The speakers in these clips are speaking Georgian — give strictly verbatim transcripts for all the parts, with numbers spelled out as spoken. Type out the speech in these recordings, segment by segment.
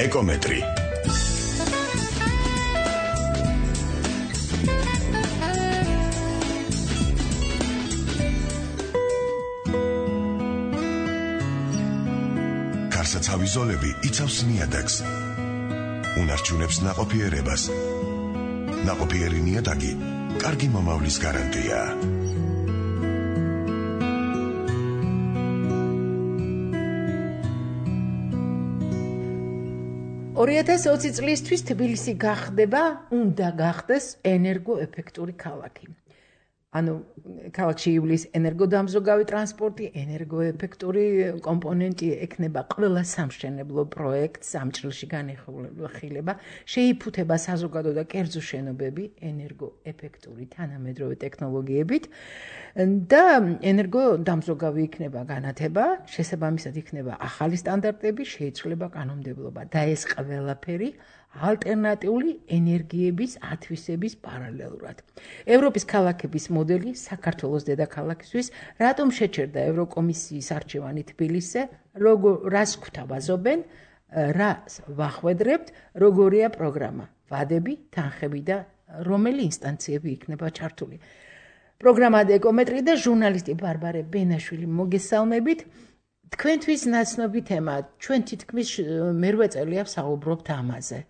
ეკომეტრი. კარსაცავი ზოლები იცავს ნიადაგს. უნარჩუნებს ნაყოფიერებას. ნაყოფიერი ნიადაგი კარგი მომავლის გარანტია. ორი ათას ოცი წლისთვის თბილისი გახდება, უნდა გახდეს ენერგოეფექტური ქალაქი. ანუ ქალაქში ივლის ენერგოდამზოგავი ტრანსპორტი, ენერგოეფექტური კომპონენტი ექნება ყველა სამშენებლო პროექტს ამ ჭრილში განხილება, შეიფუთება საზოგადო და კერძო შენობები ენერგოეფექტური თანამედროვე ტექნოლოგიებით და ენერგოდამზოგავი იქნება განათება, შესაბამისად იქნება ახალი სტანდარტები, შეიცვლება კანონმდებლობა და ეს ყველაფერი ალტერნატიული ენერგიების ათვისების პარალელურად. ევროპის ქალაქების მოდელი საქართველოს დედაქალაქისთვის რატომ შეჩერდა ევროკომისიის არჩევანი თბილისზე, რას გვთავაზობენ, რას ვახვედრებთ, როგორია პროგრამა, ვადები, თანხები და რომელი ინსტანციები იქნება ჩართული. პროგრამა ეკომეტრი და ჟურნალისტი ბარბარე ბენაშვილი მოგესალმებით. თქვენთვის ნაცნობი თემა, ჩვენ თითქმის მერვე წელია ვსაუბრობთ ამაზე.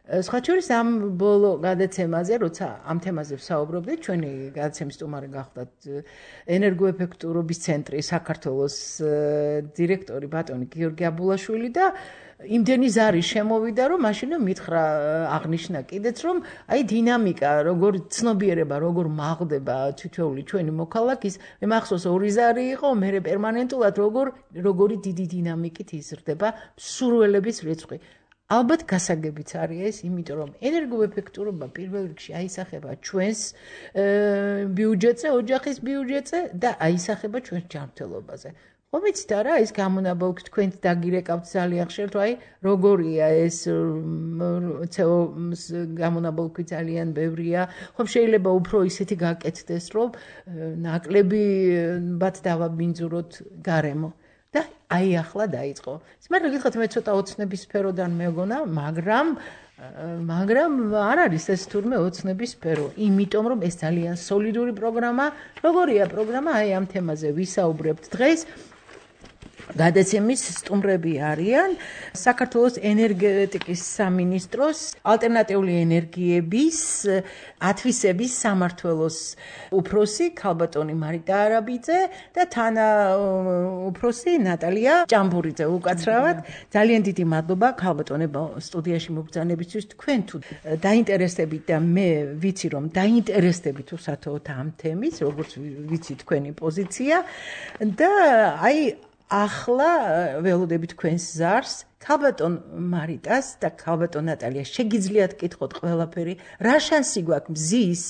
სხვა შორის ამ ბოლო გადაცემაზე, როცა ამ თემაზე ვსაუბრობდით, ჩვენი გადაცემის სტუმარი გახდათ ენერგოეფექტურობის ცენტრი საქართველოს დირექტორი ბატონი გიორგი აბულაშვილი და იმდენი ზარი შემოვიდა, რომ მაშინ მითხრა აღნიშნა კიდეც, რომ აი დინამიკა, როგორ ცნობიერება, როგორ მაღდება თითოეული ჩვენი მოქალაქის, მე მახსოვს ორი ზარი იყო, მე პერმანენტულად როგორ როგორი დიდი დინამიკით იზრდება მსურველების რიცხვი. ალბათ გასაგებიც არის ეს, იმიტომ რომ ენერგოეფექტურობა პირველ რიგში აისახება ჩვენს ბიუჯეტზე, ოჯახის ბიუჯეტზე და აისახება ჩვენს ჯანმრთელობაზე. ხო ვიცით არა, ეს გამონაბოლქვი თქვენც დაგირეკავთ ძალიან ხშირად, აი როგორია ეს ცე ო-ს გამონაბოლქვი ძალიან ბევრია. ხომ შეიძლება უფრო ისეთი გაკეთდეს, რომ ნაკლები ბათ დავაბინძუროთ გარემო. და აი ახლა დაიწყო. მაგრამ გითხოთ მე ცოტა ოცნების სფეროდან მეგონა, მაგრამ მაგრამ არ არის ეს თურმე ოცნების სფერო, იმიტომ რომ ეს ძალიან სოლიდური პროგრამა, როგორია პროგრამა, აი ამ თემაზე ვისაუბრებთ დღეს. გადაცემის სტუმრები არიან საქართველოს ენერგეტიკის სამინისტროს ალტერნატიული ენერგიების ათვისების სამმართველოს უფროსი ქალბატონი მარიტა არაბიძე და თანა უფროსი ნატალია ჭამბურიძე. უკაცრავად ძალიან დიდი მადლობა ქალბატონებო სტუდიაში მობრძანებისთვის. თქვენ თუ დაინტერესდებით და მე ვიცი რომ დაინტერესდებით უსათოოდ ამ თემის, როგორც ვიცი თქვენი პოზიცია და აი ახლა ველოდებით თქვენს ზარს, ქალბატონ მარიტას და ქალბატონ ნატალიას შეგიძლიათ კითხოთ ყველაფერი, რა შანსი გვაქვს მზის,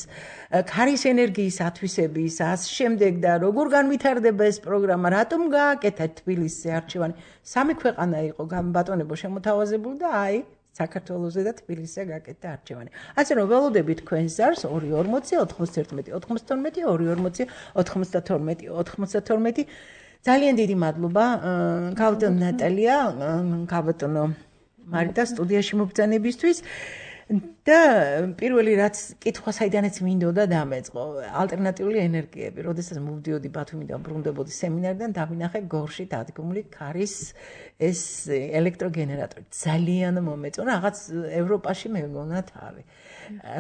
ქარის ენერგიის ათვისების, ას შემდეგ და როგორ განვითარდება ეს პროგრამა, რატომ გააკეთა თბილისზე არჩევანი. სამი ქვეყანა იყო ბატონებო შემოთავაზებული და აი საქართველოსზე და თბილისზე გაკეთდა არჩევანი. ასე რომ ველოდებით თქვენს ზარს ორი ორმოცი ოთხმოცდაერთმეტი ოთხმოცდათორმეტი ორი ორმოცი ოთხმოცდათორმეტი ოთხმოცდათორმეტი ძალიან დიდი მადლობა ქალბატონ ნატალია, ქალბატონო მარიტა სტუდიაში მობრძანებისთვის და პირველი რაც კითხვა საიდანაც მინდოდა დამეწყო, ალტერნატიული ენერგიები. როდესაც მოვდიოდი ბათუმიდან ბრუნდებოდი სემინარიდან, დავინახე გორში დადგმული ქარის ეს ელექტროგენერატორი. ძალიან მომეწონა, რაღაც ევროპაში მეგონა თავი.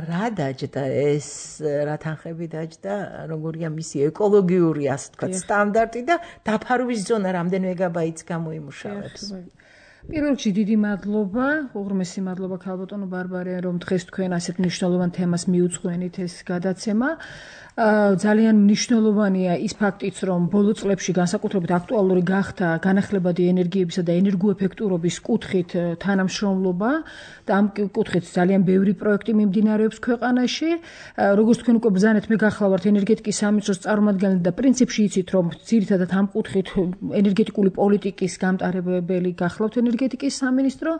რა დაჯდა ეს, რა თანხები დაჯდა, როგორია მისი ეკოლოგიური, ასე თქვა, სტანდარტი და დაფარვის ზონა რამდენ მეგაბაიტს გამოიმუშავებს. პირველ რიგში დიდი მადლობა, უღრმესი მადლობა ქალბატონო ბარბარე, რომ დღეს თქვენ ასეთ მნიშვნელოვან თემას მიუძღვენით ეს გადაცემა. ძალიან მნიშვნელოვანია ის ფაქტიც, რომ ბოლო წლებში განსაკუთრებით აქტუალური გახდა განახლებადი ენერგიებისა და ენერგოეფექტურობის კუთხით თანამშრომლობა და ამ კუთხით ძალიან ბევრი პროექტი მიმდინარეობს ქვეყანაში. როგორც თქვენ უკვე ბრძანეთ, მე გახლავართ ენერგეტიკის სამინისტროს წარმომადგენელი და პრინციპში იცით, რომ ძირითადად ამ კუთხით ენერგეტიკული პოლიტიკის გამტარებელი გახლავთ ენერგეტიკის ენერგეტიკის სამინისტრო.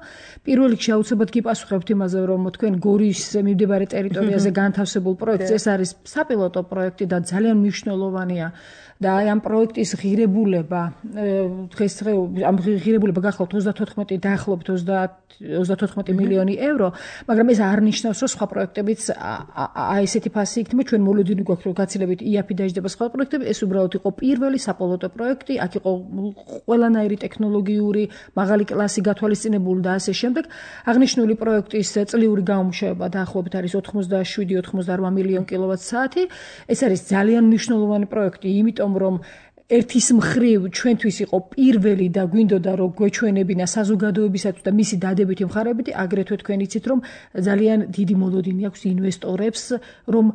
პირველ რიგში აუცილებლად გიპასუხებთ იმაზე, რომ თქვენ გორის მიმდებარე ტერიტორიაზე განთავსებულ პროექტს ეს არის საპილოტო პროექტი და ძალიან მნიშვნელოვანია. და აი ამ პროექტის ღირებულება დღესდღეობით ამ ღირებულება გახლავთ ოცდათოთხმეტი დაახლოებით ოცდათოთხმეტი მილიონი ევრო, მაგრამ ეს არ ნიშნავს, რომ სხვა პროექტებიც აი ესეთი ფასი იქნება. ჩვენ მოლოდინი გვაქვს, რომ გაცილებით იაფი დაждდება სხვა პროექტები, ეს უბრალოდ იყო პირველი საპილოტო პროექტი, აქ იყო ყველანაირი ტექნოლოგიური, მაღალი კლასი გათვალისწინებული და ასე შემდეგ. აღნიშნული პროექტის წლიური გამომუშავება დაახლოებით არის ოთხმოცდაშვიდი ოცდაოთხმოცდაორ მილიონ კილოვატ-საათი. ეს არის ძალიან მნიშვნელოვანი პროექტი, იმიტომ რომ ერთის მხრივ ჩვენთვის იყო პირველი და გვინდოდა რომ გვეჩვენებინა საზოგადოებისათვის და მისი დადებითი მხარეები, აგრეთვე თქვენ იცით რომ ძალიან დიდი მოლოდინი აქვს ინვესტორებს, რომ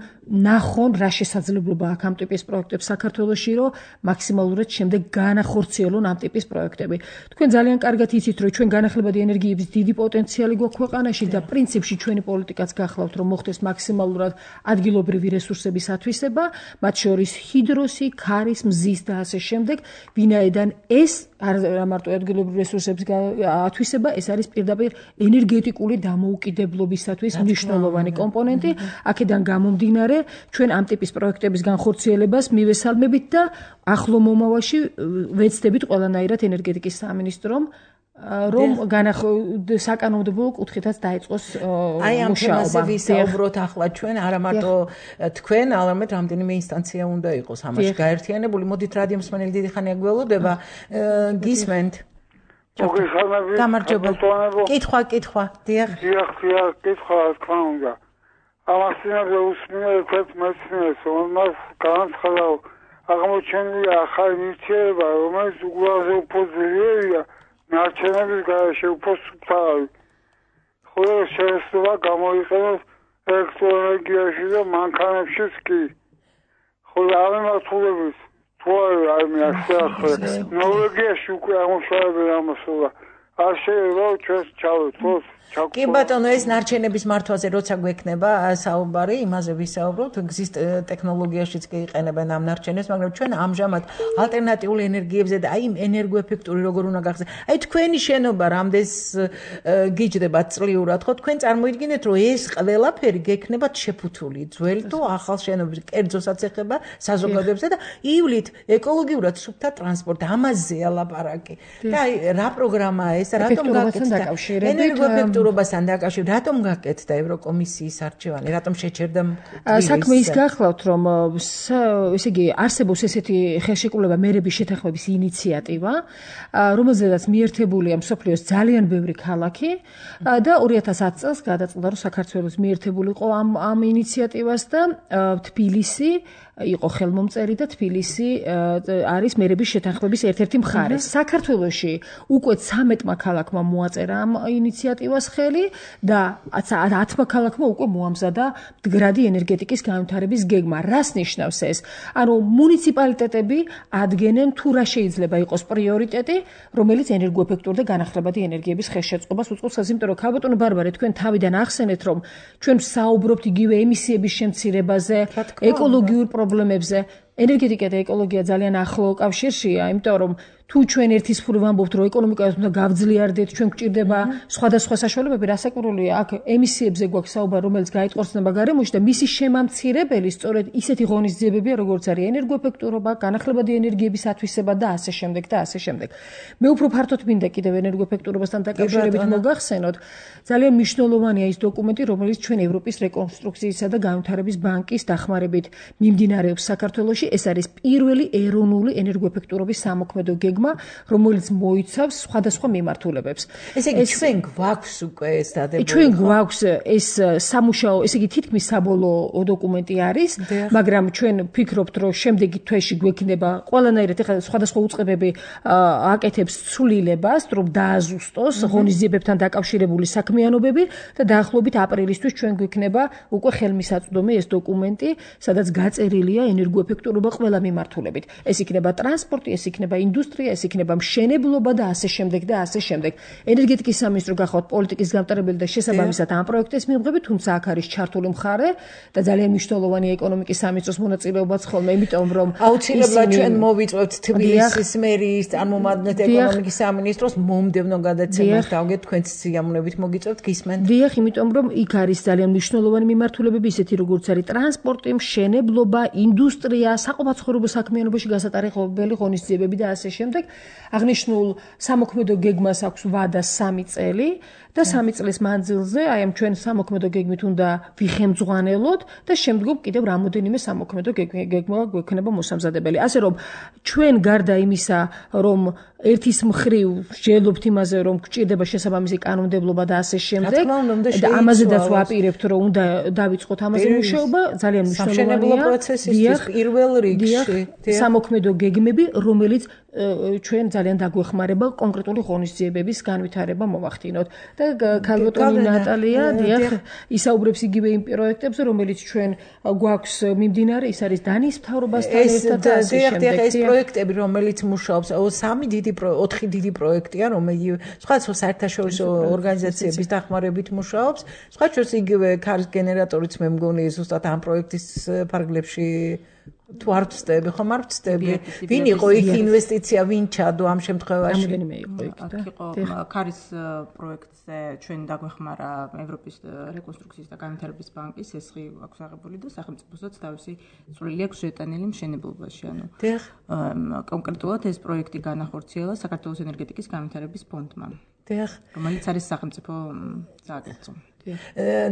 ნახონ რა შესაძლებლობა აქვს ამ ტიპის პროექტებს საქართველოში, რომ მაქსიმალურად შემდეგ განახორციელონ ამ ტიპის პროექტები. თქვენ ძალიან კარგად იცით რომ ჩვენ განახლებადი ენერგიების დიდი პოტენციალი გვაქვს ქვეყანაში და პრინციპში ჩვენი პოლიტიკაც გახლავთ რომ მოხდეს მაქსიმალურად ადგილობრივი რესურსების ათვისება, მათ შორის ჰიდროსი, ქარის, მზის და ასე შემდეგ, ვინაიდან ეს არ მარტო ადგილობრივი რესურსების ათვისება, ეს არის პირდაპირ ენერგეტიკული დამოუკიდებლობისათვის მნიშვნელოვანი კომპონენტი. აქედან გამომდინარე, ჩვენ ამ ტიპის პროექტების განხორციელებას მივესალმებით და ახლო მომავალში ვეცდებით ყველანაირად ენერგეტიკის სამინისტრომ რომ საკანონმდებლო კუთხითაც დაიწყოს მუშაობა. აი ამ თემაზე ვისაუბროთ ახლა ჩვენ, არა მარტო თქვენ, არამედ რამდენიმე ინსტანცია უნდა იყოს ამაში გაერთიანებული. მოდით რადიო მსმენელი დიდი ხანია გველოდება, გისმენთ. გამარჯობა. კითხვა, კითხვა. დიახ. დიახ, დიახ, კითხვა, რა თქმა უნდა. ამასინებზე უსმინე ერთ მეცნიერს, რომელმაც განაცხადა, აღმოჩენილია ახალი ნივთიერება, რომელიც უგულაზე უფრო ძლიერია ნარჩენების გარეშე უფრო სუფთავი. ხოლო შეიძლება გამოიყენოს ელექტროენერგიაში და მანქანებშიც კი. ხოლო ამ მიმართულებით თუ არ მიახსენე, ნორვეგიაში უკვე ამუშავებენ ამას და არ შეიძლება ჩვენს ჩავეთვალოთ. კი ბატონო, ეს ნარჩენების მართვაზე როცა გვექნება საუბარი, იმაზე ვისაუბროთ, გზის ტექნოლოგიაშიც კი იყენებენ ამ ნარჩენებს, მაგრამ ჩვენ ამჟამად ალტერნატიულ ენერგიებზე და აი ენერგოეფექტური როგორ უნდა გახდეს. აი თქვენი შენობა რამდენს გიჯდებათ წლიურად, ხო? თქვენ წარმოიდგინეთ, რომ ეს ყველაფერი გექნებათ შეფუთული, ძველი თუ ახალ შენობებში, კერძოსაც ეხება საზოგადოებასა და ივლით ეკოლოგიურად სუფთა ტრანსპორტი, ამაზეა ლაპარაკი. და აი რა პროგრამაა ეს, რატომ გაკეთდა ენერგოეფექტური რობასთან დაკავშირებით რატომ გაკეთდა ევროკომისიის არჩევანი, რატომ შეჩერდა საქმე ის გახლავთ, რომ ესე იგი არსებობს ესეთი ხელშეკრულება მერების შეთანხმების ინიციატივა, რომელზედაც მიერთებულია მსოფლიოს ძალიან ბევრი ქალაქი და ორი ათას ათი წელს გადაწყდა, რომ საქართველოს მიერთებულიყო ამ ამ ინიციატივას და თბილისი იყო ხელმომწერი და თბილისი არის მერების შეთანხმების ერთ-ერთი მხარე. საქართველოში უკვე ცამეტმა ქალაქმა მოაწერა ამ ინიციატივას ხელი და ათმა ქალაქმა უკვე მოამზადა მდგრადი ენერგეტიკის განვითარების გეგმა. რას ნიშნავს ეს? ანუ მუნიციპალიტეტები ადგენენ თუ რა შეიძლება იყოს პრიორიტეტი, რომელიც ენერგოეფექტური და განახლებადი ენერგიების ხელშეწყობას უწყობს, იმიტომ რომ ქალბატონო ბარბარე, თქვენ თავიდან ახსენეთ, რომ ჩვენ ვსაუბრობთ იგივე ემისიების შემცირებაზე, ეკოლოგიურ პრობლემებზე. ენერგეტიკა და ეკოლოგია ძალიან ახლო კავშირშია, იმიტომ რომ თუ ჩვენ ერთის მხრივ ვამბობთ, რომ ეკონომიკას უნდა გავძლიარდეთ, ჩვენ გვჭირდება სხვადასხვა საშუალებები, რასაკვირველია, აქ ემისიებზე გვაქვს საუბარი, რომელიც გაიტყორცნება გარემოში და მისი შემამცირებელი სწორედ ისეთი ღონისძიებებია, როგორც არის ენერგოეფექტურობა, განახლებადი ენერგიების ათვისება და ასე შემდეგ და ასე შემდეგ. მე უფრო ფართოდ მინდა კიდევ ენერგოეფექტურობასთან დაკავშირებით მოგახსენოთ, ძალიან მნიშვნელოვანია ის დოკუმენტი, რომელიც ჩვენ ევროპის რეკონსტრუქციისა და განვითარების ბანკის დახმარებით მიმდინარეობს საქართველოში. ეს არის პირველი ეროვნული ენერგოეფექტურობის სამოქმედო გეგმა, რომელიც მოიცავს სხვადასხვა მიმართულებებს. ესე იგი ჩვენ გვაქვს უკვე ეს დადებული. ჩვენ გვაქვს ეს სამუშაო, ესე იგი თითქმის საბოლოო დოკუმენტი არის, მაგრამ ჩვენ ვფიქრობთ, რომ შემდეგი თვეში გვექნება ყველანაირად ეხლა სხვადასხვა უწყებები აკეთებს ცვლილებას, რომ დააზუსტოს ღონისძიებებთან დაკავშირებული საქმიანობები და დაახლოებით აპრილისთვის ჩვენ გვექნება უკვე ხელმისაწვდომი ეს დოკუმენტი, სადაც გაწერილია ენერგოეფექტური ეფექტურობა ყველა მიმართულებით. ეს იქნება ტრანსპორტი, ეს იქნება ინდუსტრია, ეს იქნება მშენებლობა და ასე შემდეგ და ასე შემდეგ. ენერგეტიკის სამინისტრო გახავთ პოლიტიკის გამტარებელი და შესაბამისად ამ პროექტის მიღები, თუმცა აქ არის ჩართული მხარე და ძალიან მნიშვნელოვანი ეკონომიკის სამინისტროს მონაწილეობაც ხოლმე, იმიტომ რომ აუცილებლად ჩვენ მოვიწვევთ თბილისის მერის წარმომადგენლად ეკონომიკის სამინისტროს მომდევნო გადაცემას დავგეთ თქვენც სიამოვნებით მოგიწევთ გისმენთ. დიახ, იმიტომ რომ იქ არის ძალიან მნიშვნელოვანი მიმართულებები, ისეთი როგორც არის ტრანსპორტი, მშენებლობა, ინდუსტრია, საყოფაცხოვრებო საქმიანობაში გასატარებელი ღონისძიებები და ასე შემდეგ. აღნიშნულ სამოქმედო გეგმას აქვს ვადა სამი წელი და სამი წლის მანძილზე აი ამ ჩვენ სამოქმედო გეგმით უნდა ვიხემძღვანელოთ და შემდგომ კიდევ რამოდენიმე სამოქმედო გეგმა გვექნება მოსამზადებელი. ასე რომ ჩვენ გარდა იმისა, რომ ერთის მხრივ ვსჯელობთ იმაზე, რომ გვჭირდება შესაბამისი კანონმდებლობა და ასე შემდეგ და ამაზედაც ვაპირებთ, რომ უნდა დავიწყოთ ამაზე მუშაობა, ძალიან მნიშვნელოვანია პროცესისთვის პირველ რიგში სამოქმედო გეგმები, რომელიც ჩვენ ძალიან დაგვეხმარება კონკრეტული ღონისძიებების განვითარება მოვახდინოთ. და ქალბატონი ნატალია, დიახ, ისაუბრებს იგივე იმ პროექტებზე, რომელიც ჩვენ გვაქვს მიმდინარე, ის არის დანიის მთავრობასთან ერთად და ასე შემდეგ. ეს პროექტები, რომელიც მუშაობს, სამი დიდი ოთხი დიდი პროექტია, რომელიც სხვადასხვა საერთაშორისო ორგანიზაციების დახმარებით მუშაობს. სხვა შორის იგივე ქარის გენერატორიც მე მგონი ზუსტად ამ პროექტის ფარგლებში თუ არ ვწდები, ხომ არ ვწდები? ვინ იყო იქ ინვესტიცია, ვინ ჩადო ამ შემთხვევაში? რამდენიმე იყო იქ და იყო ქარის პროექტზე ჩვენ დაგვეხმარა ევროპის რეკონსტრუქციის და განვითარების ბანკის ესხი აქვს აღებული და სახელმწიფოსაც თავისი წვლილი აქვს შეტანილი მშენებლობაში. ანუ კონკრეტულად ეს პროექტი განახორციელა საქართველოს ენერგეტიკის განვითარების ფონდმა. დიახ, რომელიც არის სახელმწიფო სააგენტო.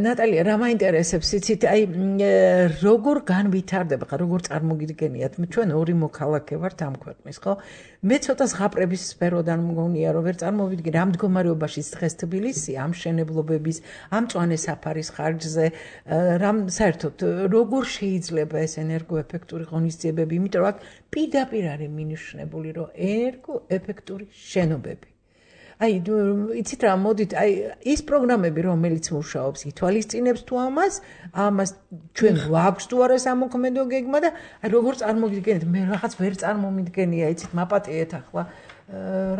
ნატალია, რა მაინტერესებს იცით, აი როგორ განვითარდება, ხა როგორ წარმოგიდგენიათ, ჩვენ ორი მოქალაქე ვართ ამ ქვეყნის, ხო? მე ცოტა ზღაპრების სფეროდან მგონია, რომ ვერ წარმოვიდგენ ამ მდგომარეობაში დღეს თბილისი ამ მშენებლობების, ამ მწვანე საფარის ხარჯზე, რამ საერთოდ როგორ შეიძლება ეს ენერგოეფექტური ღონისძიებები, იმიტომ რომ აქ პირდაპირ არის მინიშნებული, რომ ენერგოეფექტური შენობები. აი, იცით რა, მოდით, აი, ის პროგრამები, რომელიც მუშაობს, ითვალისწინებს თუ ამას, ამას ჩვენ გვაქვს თუ არა სამოქმედო გეგმა და აი, როგორ წარმოგიდგენთ, მე რაღაც ვერ წარმომიდგენია, იცით, მაპატიეთ ახლა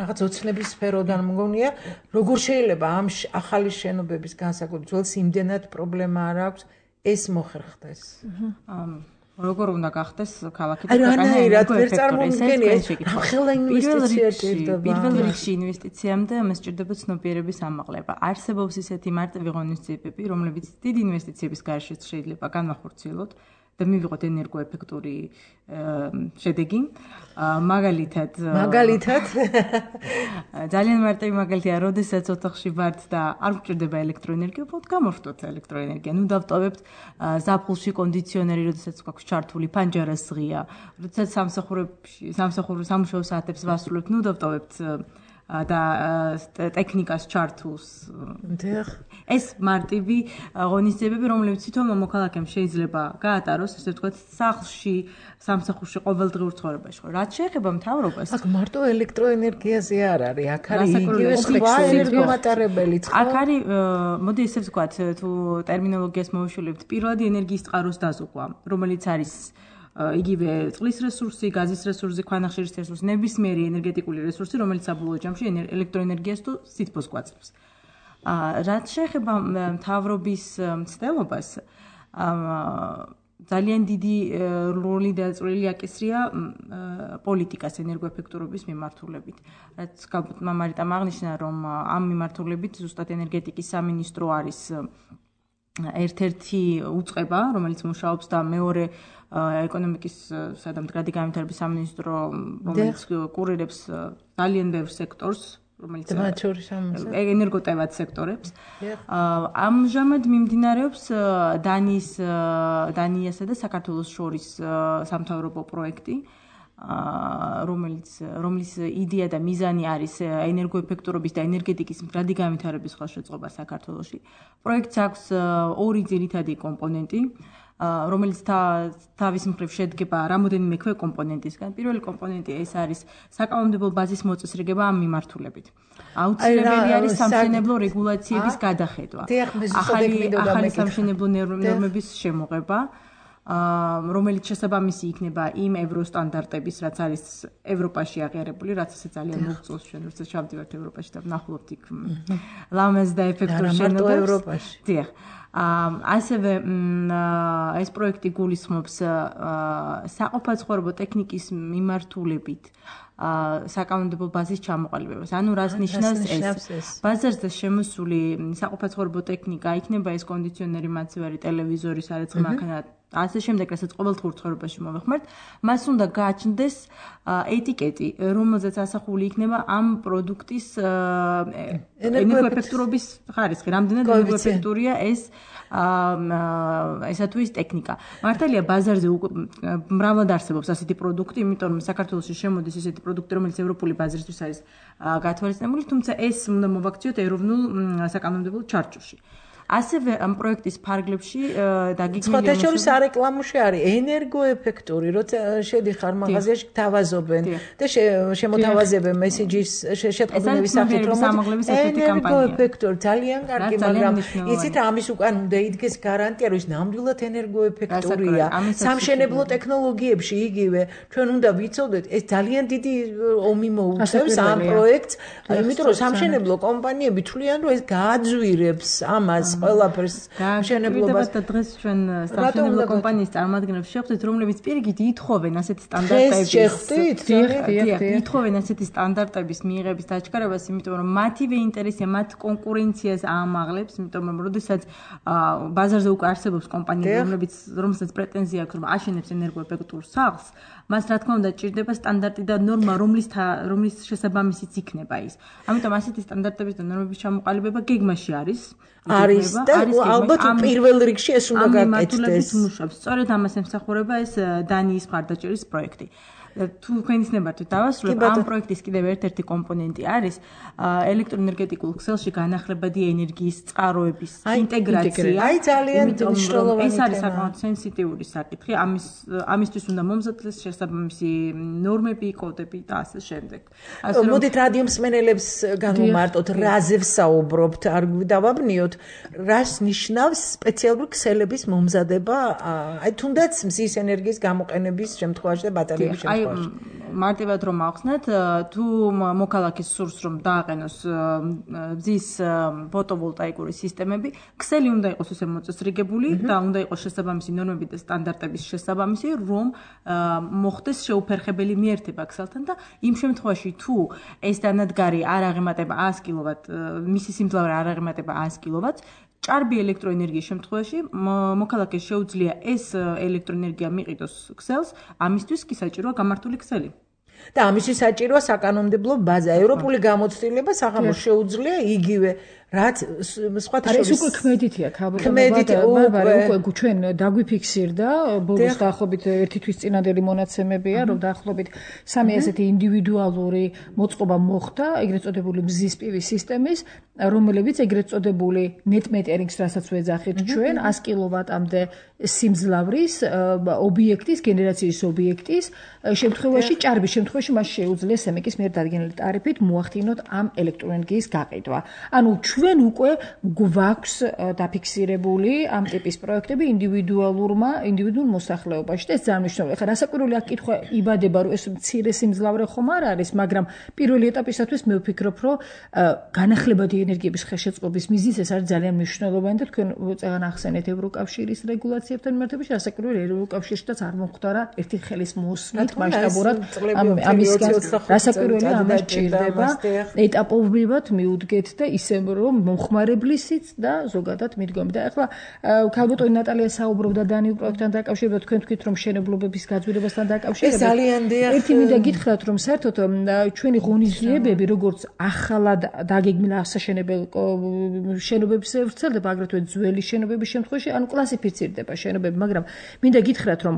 რაღაც ოცნების სფეროდან მგონია, როგორ შეიძლება ამ ახალი შენობების განსაკუთრებით ძველს იმდენად პრობლემა არ აქვს, ეს მოხერხდეს. როგორ უნდა გახდეს ქალაქი და ქვეყანა ვერ წარმომიდგენია, ხელა ინვესტიცია ჭირდება. პირველ რიგში ინვესტიციამდე ამას ჭირდება ცნობიერების ამაღლება. არსებობს ისეთი მარტივი ღონისძიებები, რომლებიც დიდი ინვესტიციების გარეშეც შეიძლება განვახორციელოთ და მივიღოთ ენერგოეფექტური შედეგი. მაგალითად, მაგალითად ძალიან მარტივი მაგალითია, როდესაც ოთახში ვართ და არ გვჭირდება ელექტროენერგია, უბრალოდ გამორთოთ ელექტროენერგია. ნუ დავტოვებთ ზაფხულში კონდიციონერი, როდესაც გვაქვს ჩართული ფანჯარას ღია, როდესაც სამსახურებში, სამსახურის სამუშაო საათებს ვასრულებთ, ნუ დავტოვებთ და ტექნიკას ჩართულს. ეს მარტივი ღონისძიებები, რომლებიც თვითონ მოქალაქემ შეიძლება გაატაროს, ესე ვთქვათ, სახლში, სამსახურში, ყოველდღიურ ცხოვრებაში. რაც შეეხება მთავრობას, აქ მარტო ელექტროენერგიაზე არ არის, აქ არის იგივე სხვა ენერგომატარებელიც. აქ არის, მოდი ესე ვთქვათ, თუ ტერმინოლოგიას მოვიშვილებთ, პირველადი ენერგიის წყაროს დაზოგვა, რომელიც არის იგივე წყლის რესურსი, გაზის რესურსი, ქვანახშირის რესურსი, ნებისმიერი ენერგეტიკული რესურსი, რომელიც საბოლოო ჯამში ელექტროენერგიას თუ სითბოს გვაძლევს. რაც შეეხება მთავრობის მცდელობას, ძალიან დიდი როლი და წვლილი აკისრია პოლიტიკას ენერგოეფექტურობის მიმართულებით. რაც გალბატონმა მარიტამ აღნიშნა, რომ ამ მიმართულებით ზუსტად ენერგეტიკის სამინისტრო არის ერთ-ერთი უწყება, რომელიც მუშაობს და მეორე ეკონომიკისა და მდგრადი განვითარების სამინისტრო, რომელიც კურირებს ძალიან ბევრ სექტორს, რომელიც ენერგოტევად სექტორებს. ამჟამად მიმდინარეობს დანიის დანიასა და საქართველოს შორის სამთავრობო პროექტი, რომელიც რომლის იდეა და მიზანი არის ენერგოეფექტურობის და ენერგეტიკის მდგრადი განვითარების ხელშეწყობა საქართველოში. პროექტს აქვს ორი ძირითადი კომპონენტი, რომელიც თავის მხრივ შედგება რამოდენიმე ქვეკომპონენტისგან. პირველი კომპონენტი ეს არის საკანონმდებლო ბაზის მოწესრიგება ამ მიმართულებით. აუცილებელი არის სამშენებლო რეგულაციების გადახედვა. ახალი ახალი სამშენებლო ნორმების შემოღება. რომელიც შესაბამისი იქნება იმ ევროსტანდარტების, რაც არის ევროპაში აღიარებული, რაც ესე ძალიან მოგვწევს ჩვენ, როცა შევდივართ ევროპაში და ვნახულობთ იქ ლამაზ და ეფექტურ შენობებს. დიახ. ასევე ეს პროექტი გულისხმობს საყოფაცხოვრებო ტექნიკის მიმართულებით საკანონმდებლო ბაზის ჩამოყალიბებას. ანუ რას ნიშნავს ეს? ბაზარზე შემოსული საყოფაცხოვრებო ტექნიკა იქნება ეს კონდიციონერი, მაცივარი, ტელევიზორი, სარეცხი მანქანა, ასე შემდეგ, რასაც ყოველდღიურ ცხოვრებაში მოვეხმართ, მას უნდა გააჩნდეს ეტიკეტი, რომელზეც ასახული იქნება ამ პროდუქტის ენერგოეფექტურობის ხარისხი, რამდენად ენერგოეფექტურია ეს ესა თუ ის ტექნიკა. მართალია ბაზარზე მრავლად არსებობს ასეთი პროდუქტი, იმიტომ რომ საქართველოში შემოდის ესეთი პროდუქტი, რომელიც ევროპული ბაზრისთვის არის გათვალისწინებული, თუმცა ეს უნდა მოვაქციოთ ეროვნულ საკანონმდებლო ჩარჩოში. ასევე ამ პროექტის ფარგლებში დაგიქმნილი სხვა შორის არეკლამოში არის ენერგოეფექტური, როცა შედიხარ მაღაზიაში გთავაზობენ და შემოთავაზებენ მესიჯის შეტყობინების სახით, რომ ენერგოეფექტური ძალიან კარგი, მაგრამ იცით ამის უკან უნდა იდგეს გარანტია, რომ ის ნამდვილად ენერგოეფექტურია. სამშენებლო ტექნოლოგიებში იგივე ჩვენ უნდა ვიცოდეთ, ეს ძალიან დიდი ომი მოუწევს ამ პროექტს, იმიტომ რომ სამშენებლო კომპანიები თვლიან, რომ ეს გააძვირებს ამას ყველაფერს მშენებლობას და დღეს ჩვენ სამშენებლო კომპანიის წარმომადგენლებს შევხვდით, რომლებიც პირიქით ითხოვენ ასეთი სტანდარტების შევხვდით, ითხოვენ ასეთი სტანდარტების მიიღების დაჩქარებას, იმიტომ რომ მათივე ინტერესია, მათ კონკურენციას აამაღლებს, იმიტომ რომ როდესაც ბაზარზე უკვე არსებობს კომპანიები, რომლებიც რომელსაც პრეტენზია აქვს, რომ აშენებს ენერგოეფექტურ სახლს, მას რა თქმა უნდა ჭირდება სტანდარტი და ნორმა, რომლის რომლის შესაბამისიც იქნება ის. ამიტომ ასეთი სტანდარტების და ნორმების ჩამოყალიბება გეგმაში არის. არის და ალბათ პირველ რიგში ეს უნდა გაკეთდეს. სწორედ ამას ემსახურება ეს დანიის მხარდაჭერის პროექტი. თუ თქვენისნებართ დავასრულებ, ამ პროექტის კიდევ ერთ-ერთი კომპონენტი არის ელექტროენერგეტიკულ ქსელში განახლებადი ენერგიის წყაროების ინტეგრაცია. აი ძალიან მნიშვნელოვანი ეს არის საკმაოდ სენსიტიური საკითხი. ამის ამისთვის უნდა მომზადდეს შესაბამისი ნორმები, კოდები და ასე შემდეგ. მოდით რადიო მსმენელებს განვმარტოთ, რაზე ვსაუბრობთ, არ დავაბნიოთ, რას ნიშნავს სპეციალური ქსელების მომზადება, აი თუნდაც მზის ენერგიის გამოყენების შემთხვევაში და ბატარეების შემთხვევაში. მარტივად რომ ახსნათ, თუ მოქალაქის სურს რომ დააყენოს მზის ფოტოვოლტაიკური სისტემები, ქსელი უნდა იყოს ესე მოწესრიგებული და უნდა იყოს შესაბამისი ნორმები და სტანდარტების შესაბამისი, რომ მოხდეს შეუფერხებელი მიერთება ქსელთან და იმ შემთხვევაში თუ ეს დანადგარი არ აღემატება ას კილოვატ, მისი სიმძლავრე არ აღემატება ას კილოვატს, ჭარბი ელექტროენერგიის შემთხვევაში მოქალაქეს შეუძლია ეს ელექტროენერგია მიყიდოს ქსელს, ამისთვის კი საჭიროა გამართული ქსელი. და ამისთვის საჭიროა საკანონმდებლო ბაზა. ევროპული გამოცდილება საღამოს შეუძლია იგივე რაც სხვათა შორის. ეს უკვე ქმედითია, ბარბარე, უკვე ჩვენ დაგვიფიქსირდა ბოლოს დაახლოებით ერთი თვის წინანდელი მონაცემებია, რომ დაახლოებით სამი ასეთი ინდივიდუალური მოწყობა მოხდა ეგრეთ წოდებული მზის პივის სისტემის, რომლებიც ეგრეთ წოდებული net metering-ს რასაც ვეძახით ჩვენ, ას კილოვატამდე სიმძლავრის ობიექტის, გენერაციის ობიექტის შემთხვევაში, ჭარბის შემთხვევაში მას შეუძლია სემეკის მიერ დადგენილი ტარიფით მოახდინოთ ამ ელექტროენერგიის გაყიდვა. ანუ ჩვენ უკვე გვაქვს დაფიქსირებული ამ ტიპის პროექტები ინდივიდუალურმა, ინდივიდუალურ მოსახლეობაში და ეს ძალიან მნიშვნელოვანია. ხა რასაკვირველია კითხვა იბადება, რომ ეს მცირე სიმძლავრე ხომ არ არის, მაგრამ პირველი ეტაპისათვის მე ვფიქრობ, რომ განახლებადი ენერგიების ხელშეწყობის მიზნით ეს არის ძალიან მნიშვნელოვანი და თქვენ წეგან ახსენეთ ევროკავშირის რეგულაციებთან მიმართებაში, რასაკვირველია ევროკავშირშიც არ მომხდარა ერთი ხელის მოსვლით მასშტაბურად ამის რასაკვირველია ამას ჭირდება ეტაპობრივად მიუდგეთ და ისე რომ მომხმარებლისიც და ზოგადად მიდგომი. და ახლა ქალბატონი ნატალია საუბრობდა დანიურ პროექტთან დაკავშირებით, თქვენ თქვით რომ მშენებლობების გაძვირებასთან დაკავშირებით. ეს ძალიან დიახ. ერთი მინდა გითხრათ რომ საერთოდ ჩვენი ღონისძიებები როგორც ახალად დაგეგმილი ასაშენებელ შენობებს ვრცელდება, აგრეთვე ძველი შენობების შემთხვევაში, ანუ კლასიფიცირდება შენობები, მაგრამ მინდა გითხრათ რომ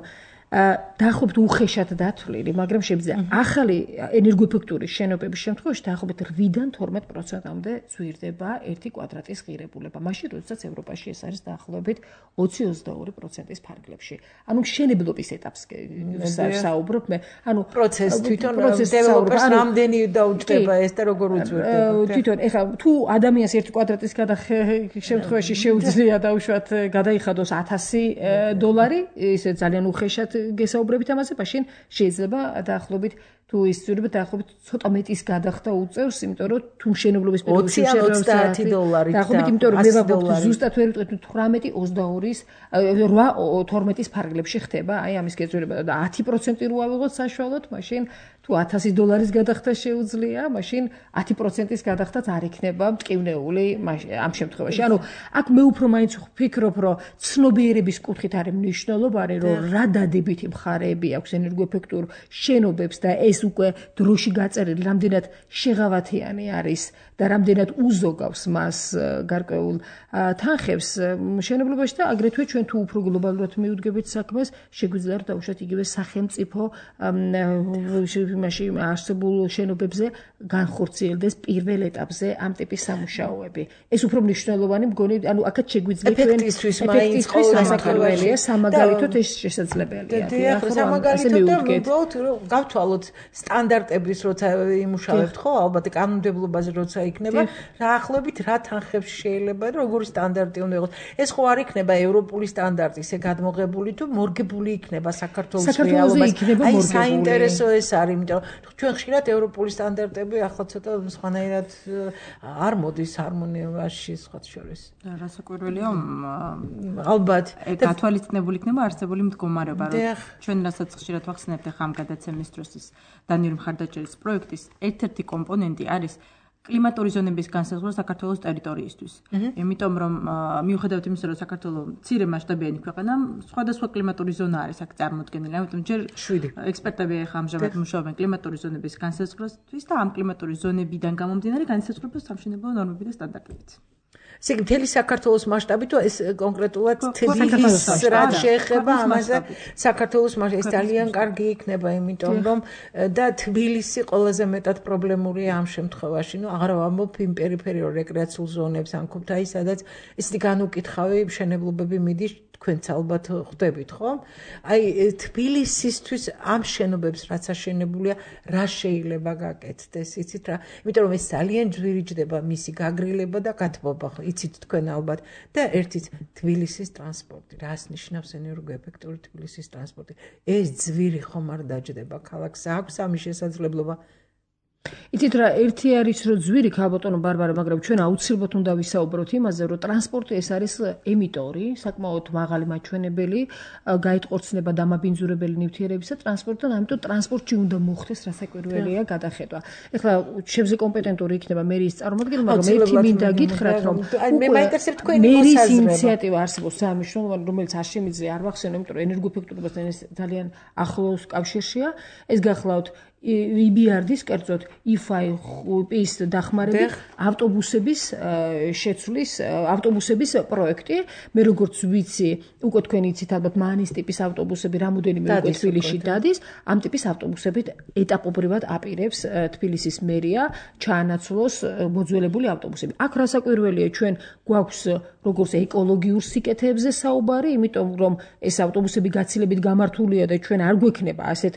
დაახლოებით უხეშად დათვლილი, მაგრამ შეიძლება ახალი ენერგოეფექტური შენობების შემთხვევაში დაახლოებით რვიდან თორმეტ პროცენტამდე ზვირდება ერთი კვადრატის ღირებულება. მაშინ, როდესაც ევროპაში ეს არის დაახლოებით ოცი ოცდაორი პროცენტის ფარგლებში. ანუ მშენებლობის ეტაპს საუბრობ მე. ანუ პროცესი თვითონ დეველოპერს რამდენი დაუჭდება ეს და როგორ უძვირდება. თვითონ ეხლა თუ ადამიანს ერთი კვადრატის შემთხვევაში შეუძლია დაუშვათ გადაიხადოს ათასი დოლარი, ისე ძალიან უხეშად გესაუბრებით ამაზე, მაშინ შეიძლება დაახლოებით თუ ის ზრდება დაახლოებით ცოტა მეტის გადახდა უწევს, იმიტომ რომ თუ მშენებლობის პერიოდში ოცი დოლარი დაახლოებით, იმიტომ რომ მე ვაბობთ ზუსტად ვერ ვიტყვით თვრამეტი ოცდაორის რვა თორმეტის ფარგლებში ხდება, აი ამის გეწევრება და ათი პროცენტი რო ავიღოთ საშუალოდ, მაშინ თუ ათასი დოლარის გადახდა შეუძლია, მაშინ ათი პროცენტის გადახდაც არ იქნება მტკივნეული ამ შემთხვევაში. ანუ აქ მე უფრო მაინც ვფიქრობ, რომ ცნობიერების კუთხით არის მნიშვნელოვანი, რომ რა დადებითი მხარეები აქვს ენერგოეფექტურ შენობებს და ეს უკვე დროში გაწერილი, რამდენად შეღავათიანი არის და რამდენად უზოგავს მას გარკვეულ თანხებს მშენებლობაში და აგრეთვე ჩვენ თუ უფრო გლობალურად მიუდგებით საქმეს, შეგვიძლია რომ დაუშვათ იგივე სახელმწიფო იმაში არსებულ შენობებზე განხორციელდეს პირველ ეტაპზე ამ ტიპის სამუშაოები. ეს უფრო მნიშვნელოვანი მგონი, ანუ აქაც შეგვიძლია ჩვენ ეფექტისთვის მაინც ყოველდღიურია სამაგალითოდ ეს შესაძლებელია. დიახ, სამაგალითოდ და უბრალოდ გავთვალოთ სტანდარტების როცა იმუშავებთ ხო, ალბათ კანონმდებლობაზე როცა იქნება, რა ახლობით რა თანხებში შეიძლება და როგორი სტანდარტი უნდა იყოს. ეს ხო არ იქნება ევროპული სტანდარტი, ესე გადმოღებული თუ მორგებული იქნება საქართველოს რეალობას. აი საინტერესო ეს არის, იმიტომ რომ ჩვენ ხშირად ევროპული სტანდარტები ახლა ცოტა სხვანაირად არ მოდის ჰარმონიაში სხვათ შორის. რასაკვირველია, ალბათ გათვალისწინებული იქნება არსებული მდგომარეობა, რომ ჩვენ რასაც ხშირად ვახსენებთ ახლა ამ გადაცემის დროს ის დანიური მხარდაჭერის პროექტის ერთ-ერთი კომპონენტი არის კლიმატური ზონების განსაზღვრა საქართველოს ტერიტორიისთვის. იმიტომ რომ მიუხედავად იმისა, რომ საქართველოს მცირე მასშტაბიანი ქვეყანა, სხვადასხვა კლიმატური ზონა არის აქ წარმოდგენილი. ამიტომ ჯერ ექსპერტები ახლა ამჟამად მუშაობენ კლიმატური ზონების განსაზღვრისთვის და ამ კლიმატური ზონებიდან გამომდინარე განსაზღვრება სამშენებლო ნორმები და სტანდარტებიც. ესე იგი, მთელი საქართველოს მასშტაბით თუ ეს კონკრეტულად თბილისს რაც შეეხება ამაზე საქართველოს მასშტაბით ეს ძალიან კარგი იქნება, იმიტომ რომ და თბილისი ყველაზე მეტად პრობლემურია ამ შემთხვევაში. ნუ აღარ ვამბობ იმ პერიფერიულ რეკრეაციულ ზონებს ან ქუთაისს, სადაც ისეთი განუკითხავი მშენებლობები მიდის, თქვენც ალბათ ხვდებით, ხო? აი თბილისისთვის ამ შენობებს რაც აშენებულია, რა შეიძლება გაკეთდეს, იცით რა? იმიტომ რომ ეს ძალიან ძვირიჯდება მისი გაგრილება და გათბობა, ხო? იცით თქვენ ალბათ და ერთიც თბილისის ტრანსპორტი, რას ნიშნავს ენერგოეფექტური თბილისის ტრანსპორტი? ეს ძვირი ხომ არ დაჯდება ქალაქს, აქვს ამის შესაძლებლობა. იცით რა, ერთი არის რომ ძვირი ქალბატონო ბარბარე, მაგრამ ჩვენ აუცილებლად უნდა ვისაუბროთ იმაზე, რომ ტრანსპორტი ეს არის ემიტორი, საკმაოდ მაღალი მაჩვენებელი, გაიტყორცნება დამაბინძურებელი ნივთიერებისა ტრანსპორტთან, ამიტომ ტრანსპორტში უნდა მოხდეს რასაკვირველია გადახედვა. ეხლა შევზე კომპეტენტური იქნება მერის წარმოადგენელი, მაგრამ ერთი მინდა გითხრათ, რომ მე მაინტერესებს თქვენი მერის ინიციატივა არსებობს სამშენებლო, რომელიც არ შემიძლია არ ვახსენო, იმიტომ რომ ენერგოეფექტურობასთან ეს ძალიან ახლოს კავშირშია. ეს გახლავთ იბიარდის კერძოდ იფაი-ის დახმარებით ავტობუსების შეცვლის ავტობუსების პროექტი. მე როგორც ვიცი, უკვე თქვენ იცით ალბათ მანის ტიპის ავტობუსები რამოდენიმე უკვე თბილისში დადის. ამ ტიპის ავტობუსებით ეტაპობრივად აპირებს თბილისის მერია ჩაანაცვლოს მოძველებული ავტობუსები. აქ რასაკვირველია, ჩვენ გვაქვს როგორც ეკოლოგიურ სიკეთეებზე საუბარი, იმიტომ რომ ეს ავტობუსები გაცილებით გამართულია და ჩვენ არ გვექნება ასეთ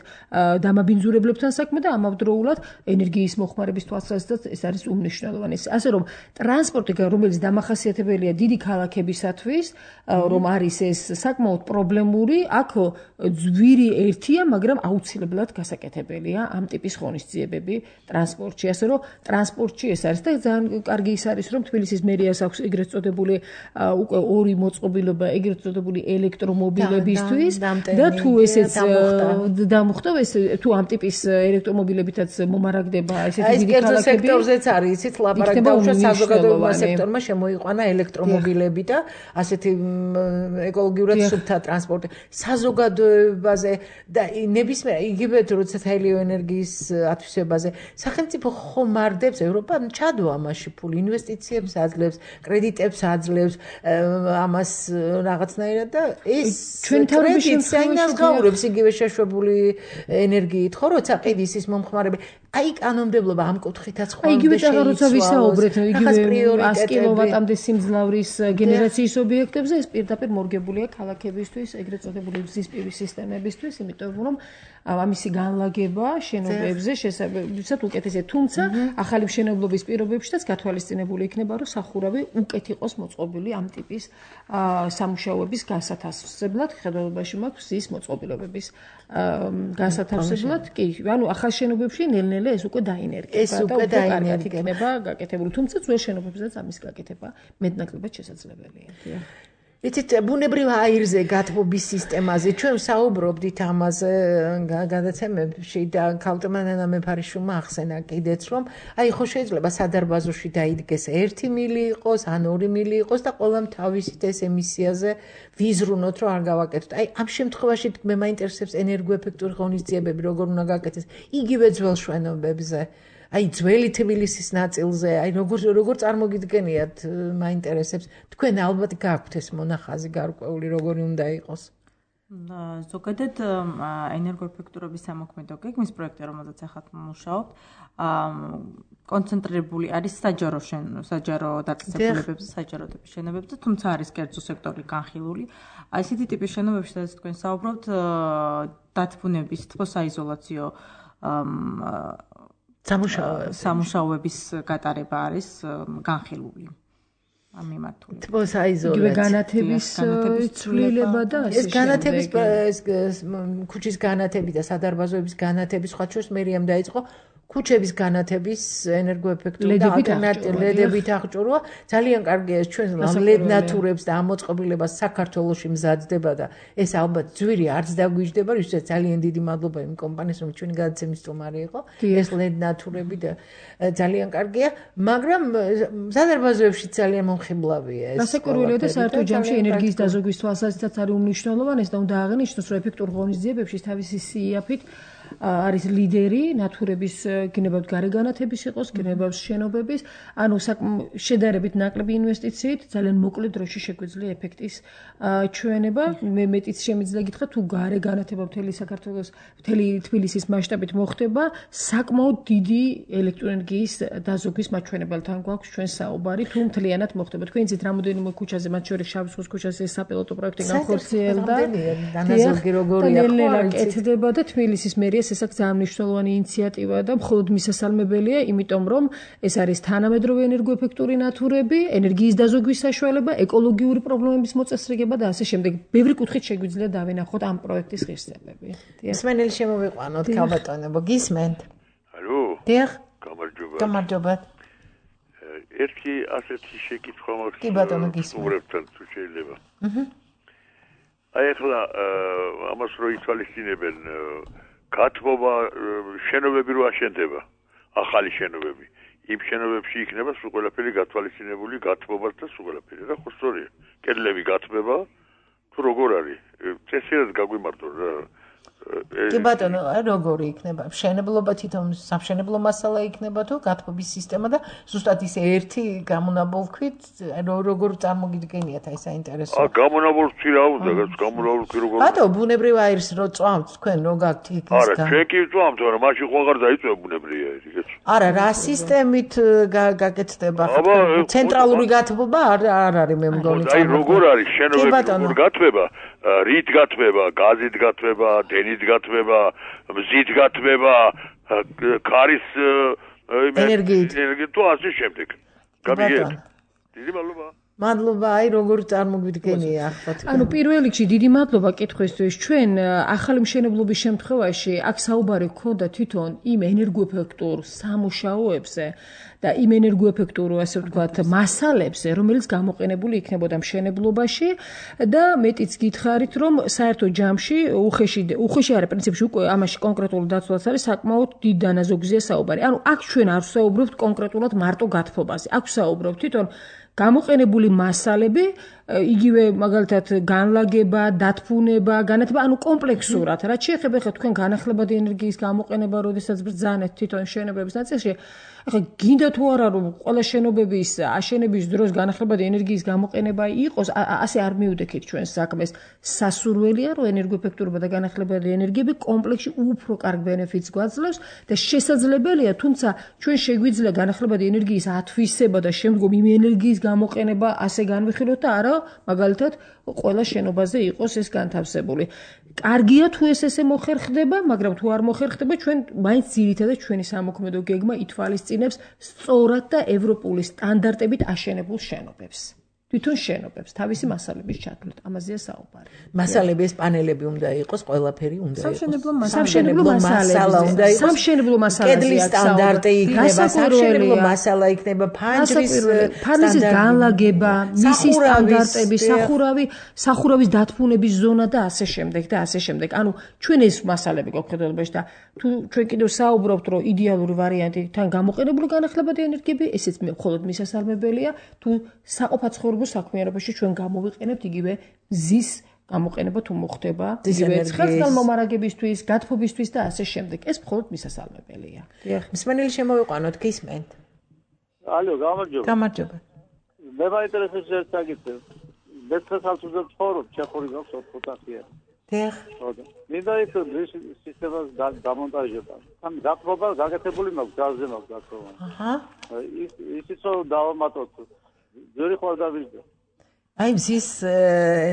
დამაბინძურებლებთან საქმე და ამავდროულად ენერგიის მოხმარების თვალსაზრისით ეს არის უმნიშვნელოვანესი. ასე რომ ტრანსპორტი, რომელიც დამახასიათებელია დიდი ქალაქებისათვის, რომ არის ეს საკმაოდ პრობლემური, აქ ძვირი ერთია, მაგრამ აუცილებლად გასაკეთებელია ამ ტიპის ღონისძიებები ტრანსპორტში. ასე რომ ტრანსპორტში ეს არის და ძალიან კარგი ის არის, რომ თბილისის მერიას აქვს ეგრეთ წოდებული უკვე ორი მოწყობილობა ეგრეთ წოდებული ელექტრომობილებისთვის და თუ ესეც დამუხტა, ეს თუ ამ ტიპის ელექტრომობილებითაც მომარაგდება ესეთი დიდი ქალაქები. ეს სექტორზეც არის, იცით, ლაპარაკი დაუშვათ საზოგადოებრივ სექტორმა შემოიყვანა ელექტრომობილები და ასეთი ეკოლოგიურად სუფთა ტრანსპორტი. საზოგადოებაზე და ნებისმიერ იგივე როცა ჰელიოენერგიის ათვისებაზე სახელმწიფო ხომ მარდებს ევროპა ჩადო ამაში ფული, ინვესტიციებს აძლევს, კრედიტებს აძლევს გააძლიერებს ამას რაღაცნაირად და ეს ჩვენი თავრობის შემთხვევაში იგივე შეშვებული ენერგიით ხო როცა ყიდის ის მომხმარებელი აი კანონმდებლობა ამ კუთხითაც ხო იგივე წაღა როცა ვისაუბრეთ იგივე sto კილოვატამდე სიმძლავრის გენერაციის ობიექტებზე ეს პირდაპირ მორგებულია ქალაქებისთვის ეგრეთ წოდებული ზისპირის სისტემებისთვის იმიტომ რომ ამისი განლაგება შენობებზე შესაბამისად უკეთესია თუმცა ახალი მშენებლობის პირობებშიც გათვალისწინებული იქნება რომ სახურავი უკეთ იყოს მოწყობილი ამ ტიპის სამუშაოების განსათავსებლად ხედველობაში მაქვს ის მოწყობილობების განსათავსებლად კი ანუ ახალ შენობებში ნელ-ნელა ეს უკვე დაინერგება ეს უკვე დაინერგება იქნება გაკეთებული თუმცა ძველ შენობებზეც ამის გაკეთება მეტნაკლებად შესაძლებელია იცით ბუნებრივ აირზე გათბობის სისტემაზე ჩვენ საუბრობდით ამაზე გადაცემებში და ქალტმანანა მეფარიშვილმა ახსენა კიდეც რომ აი ხო შეიძლება სადარბაზოში დაიდგეს ერთი მილი იყოს ან ორი მილი იყოს და ყველამ თავისით ეს ემისიაზე ვიზრუნოთ რომ არ გავაკეთოთ აი ამ შემთხვევაში მე მაინტერესებს ენერგოეფექტური ღონისძიებები როგორ უნდა გაკეთდეს იგივე ძველ შვენობებზე აი ძველი თბილისის ნაწილზე აი როგორ როგორ წარმოგიდგენიათ მაინტერესებს თქვენ ალბათ გაქვთ ეს მონახაზი გარკვეული როგორი უნდა იყოს ზოგადად ენერგოეფექტურობის სამოქმედო გეგმის პროექტი რომელზეც ახლა მუშაობთ კონცენტრირებული არის საჯარო საჯარო დაწესებულებებზე საჯარო ტიპის შენობებზე თუმცა არის კერძო სექტორი განხილული აი ესეთი ტიპის შენობებში სადაც თქვენ საუბრობთ დათბუნების თბოსაიზოლაციო სამუშაოების გატარება არის განხილული ამ მიმართულებით. თბოსაიზოლაცია. იგივე განათების ცვლილება და ეს განათების ქუჩის განათები და სადარბაზოების განათები სხვა შორის მერიამ დაიწყო ქუჩების განათების ენერგოეფექტური და ალტერნატიულებით აღჭურვა ძალიან კარგია ეს ჩვენ ლედ ნატურებს და ამოწყობილებას საქართველოში მზადდება და ეს ალბათ ძვირი არც დაგვიჯდება ვისაც ძალიან დიდი მადლობა იმ კომპანიას რომ ჩვენი გადაცემის სტუმარი იყო ეს ლედ ნატურები და ძალიან კარგია მაგრამ სადარბაზოებში ძალიან მომხიბლავია ეს გასაკვირველია და საერთო ჯამში ენერგიის დაზოგვის თვალსაზრისით არის უმნიშვნელოვანესი და უნდა აღინიშნოს რომ ეფექტურ ღონისძიებებში თავისი სიაფით არის ლიდერი ნატურების გნებავთ გარეგანათების იყოს გნებავს შენობების ანუ შედარებით ნაკლები ინვესტიციით ძალიან მოკლე დროში შეგვიძლია ეფექტის ჩვენება მე მეტიც შემიძლია გითხრათ თუ გარეგანათება მთელი საქართველოს მთელი თბილისის მასშტაბით მოხდება საკმაოდ დიდი ელექტროენერგიის დაზოგვის მაჩვენებელთან გვაქვს ჩვენ საუბარი თუ მთლიანად მოხდება თქვენ იცით რამოდენიმე ქუჩაზე მათ შორის შავი ზღვის ქუჩაზე ეს საპილოტო პროექტი განხორციელდა დანაზოგი როგორია ხო კეთდება და თბილისის მერია ეს ესაკ ძალიან მნიშვნელოვანი ინიციატივა და მხოლოდ მისასალმებელია, იმიტომ რომ ეს არის თანამედროვე ენერგოეფექტური ნატურები, ენერგიის დაზოგვის საშუალება, ეკოლოგიური პრობლემების მოწესრიგება და ასე შემდეგ. ბევრი კუთხით შეგვიძლია დავინახოთ ამ პროექტის ღირსებები. მსმენელი შემოვიყვანოთ, ქალბატონებო, გისმენთ? ალო. დიახ. გამარჯობა. გამარჯობა. ერთი ასეთი შეკითხვა მაქვს. კი ბატონო, გისმენთ. თუ შეიძლება. აჰა. აი ახლა ამას რო ითვალისწინებენ გათბობა შენობები რო აშენდება ახალი შენობები იმ შენობებში იქნება სულ ყველაფერი გათვალისწინებული გათბობაც და სულ ყველაფერი რა ხო სწორია კედლები გათბება თუ როგორ არის წესიერად გაგვიმართო რა კი ბატონო როგორი იქნება მშენებლობა თვითონ სამშენებლო მასალა იქნება თუ გათბობის სისტემა და ზუსტად ის ერთი გამონაბოლქვით როგორ წარმოგიდგენიათ აი საინტერესო ა გამონაბოლქვი რა უნდა გამონაბოლქვი როგორ ბატონო ბუნებრივ აირს რო წვამთ თქვენ რო გაქვთ იქ არა ჩვენ კი წვამთ არა მაშინ ხო აღარ დაიწვა ბუნებრივი აირი კეთო არა რა სისტემით გაკეთდება ცენტრალური გათბობა არ არ არის მე მგონი აი როგორ არის შენობები როგორ გათბება რით გათბება გაზით გათბება დენით გათბება მზით გათბება ქარის ენერგიით თუ ასე შემდეგ გამიგეთ დიდი მადლობა მადლობა აი როგორ წარმოგვიდგენია ახლა თქვენ ანუ პირველ რიგში დიდი მადლობა კითხვისთვის ჩვენ ახალი მშენებლობის შემთხვევაში აქ საუბარი გქონდა თვითონ იმ ენერგოეფექტურ სამუშაოებზე და იმ ენერგოეფექტურ ასე ვთქვათ მასალებზე რომელიც გამოყენებული იქნებოდა მშენებლობაში და მეტიც გითხარით რომ საერთო ჯამში უხეში უხეში არის პრინციპში უკვე ამაში კონკრეტული დაცვაც არის საკმაოდ დიდ დანაზოგზია საუბარი ანუ აქ ჩვენ არ ვსაუბრობთ კონკრეტულად მარტო გათბობაზე აქ ვსაუბრობთ თვითონ გამოყენებული მასალები, იგივე მაგალითად განლაგება, დათბუნება, განათება, ანუ კომპლექსურად, რაც შეეხება ხა თქვენ განახლებადი ენერგიის გამოყენება, როდესაც ბრძანეთ თვითონ შენობების ნაწილში, ახლა გინდა თუ არა რომ ყველა შენობების აშენების დროს განახლებადი ენერგიის გამოყენება იყოს, ასე არ მიუდექით ჩვენს საქმეს. სასურველია რომ ენერგოეფექტურობა და განახლებადი ენერგიები კომპლექსში უფრო კარგ ბენეფიტს გვაძლევს და შესაძლებელია, თუმცა ჩვენ შეგვიძლია განახლებადი ენერგიის ათვისება და შემდგომ იმ ენერგიის გამოყენება ასე განვიხილოთ და არა მაგალითად ყველა შენობაზე იყოს ეს განთავსებული. კარგია თუ ეს ესე მოხერხდება, მაგრამ თუ არ მოხერხდება, ჩვენ მაინც ძირითადად ჩვენი სამოქმედო გეგმა ითვალისწინებს სწორად და ევროპული სტანდარტებით აშენებულ შენობებს. თვითონ შენობებს, თავისი მასალების ჩათვლით, ამაზეა საუბარი. მასალები ეს პანელები უნდა იყოს, ყველაფერი უნდა იყოს. სამშენებლო მასალა უნდა იყოს. სამშენებლო მასალები კედლის სტანდარტი იქნება, სამშენებლო მასალა იქნება, ფანჯრის ფანჯრის განლაგება, მისი სტანდარტები, სახურავი, სახურავის დათბუნების ზონა და ასე შემდეგ და ასე შემდეგ. ანუ ჩვენ ეს მასალები გვაქვს და თუ ჩვენ კიდევ საუბრობთ, რომ იდეალური ვარიანტი თან გამოყენებული განახლებადი ენერგიები, ესეც მხოლოდ მისასალმებელია, თუ საყოფაცხოვრებო საქმიანობაში ჩვენ გამოვიყენებთ იგივე მზის გამოყენება თუ მოხდება, იგივე ცხელწარმომარაგებისთვის, გათბობისთვის და ასე შემდეგ. ეს მხოლოდ მისასალმებელია. მსმენელი შემოვიყვანოთ, გისმენთ. ალო, გამარჯობა. გამარჯობა. მე მაინტერესებს ერთ საკითხი. მე ცალსუძე ცხოვრობ, ჩეხური გვაქვს ოთხი. დიახ. მინდა ის სისტემას დამონტაჟება. ამ გათბობა გაკეთებული მაქვს, გაზზე მაქვს გათბობა. აჰა. ის ისიც რომ დავამატოთ. ძველი ხარ დავიძო. აი მზის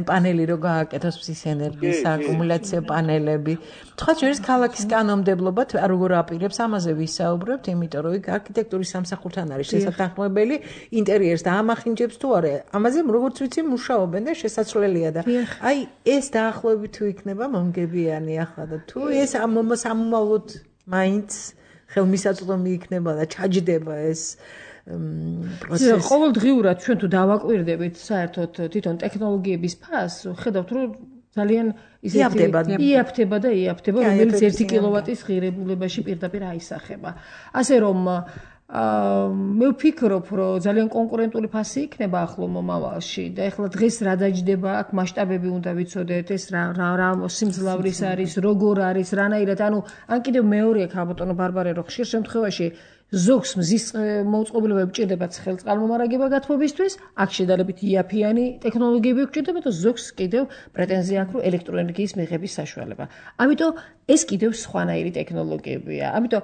პანელი რო გააკეთოს მზის ენერგიის აკუმულაციო პანელები. თქვა ჩვენს ქალაქის კანონმდებლობა როგორ აპირებს ამაზე ვისაუბრებთ, იმიტომ რომ იქ არქიტექტურის სამსახურთან არის შესაძლებელი ინტერიერს და ამახინჯებს თუ არა. ამაზე როგორც ვიცი მუშაობენ და შესაძლებელია და აი ეს დაახლოებით თუ იქნება მომგებიანი ახლა და თუ ეს ამომავლოდ მაინც ხელმისაწვდომი იქნება და ჩაჯდება ეს პროცესი. ყოველდღიურად ჩვენ თუ დავაკვირდებით საერთოდ თვითონ ტექნოლოგიების ფასს, ხედავთ რომ ძალიან ისეთი იაფთება და იაფთება, რომელიც ერთი კილოვატის ღირებულებაში პირდაპირ აისახება. ასე რომ მე ვფიქრობ, რომ ძალიან კონკურენტული ფასი იქნება ახლო მომავალში და ეხლა დღეს რა დაჯდება, აქ მასშტაბები უნდა ვიცოდეთ, ეს რა რა სიმძლავრის არის, როგორ არის, რანაირად, ანუ ან კიდევ მეორეა ქალბატონო ბარბარე, რომ ხშირ შემთხვევაში ზოგს მზის მოწყობილება ჭირდება ცხელწარმომარაგება გათბობისთვის, აქ შედარებით იაფიანი ტექნოლოგიები გვჭირდება და ზოგს კიდევ პრეტენზია აქვს, რომ ელექტროენერგიის მიღების საშუალება. ამიტომ ეს კიდევ სხვანაირი ტექნოლოგიებია. ამიტომ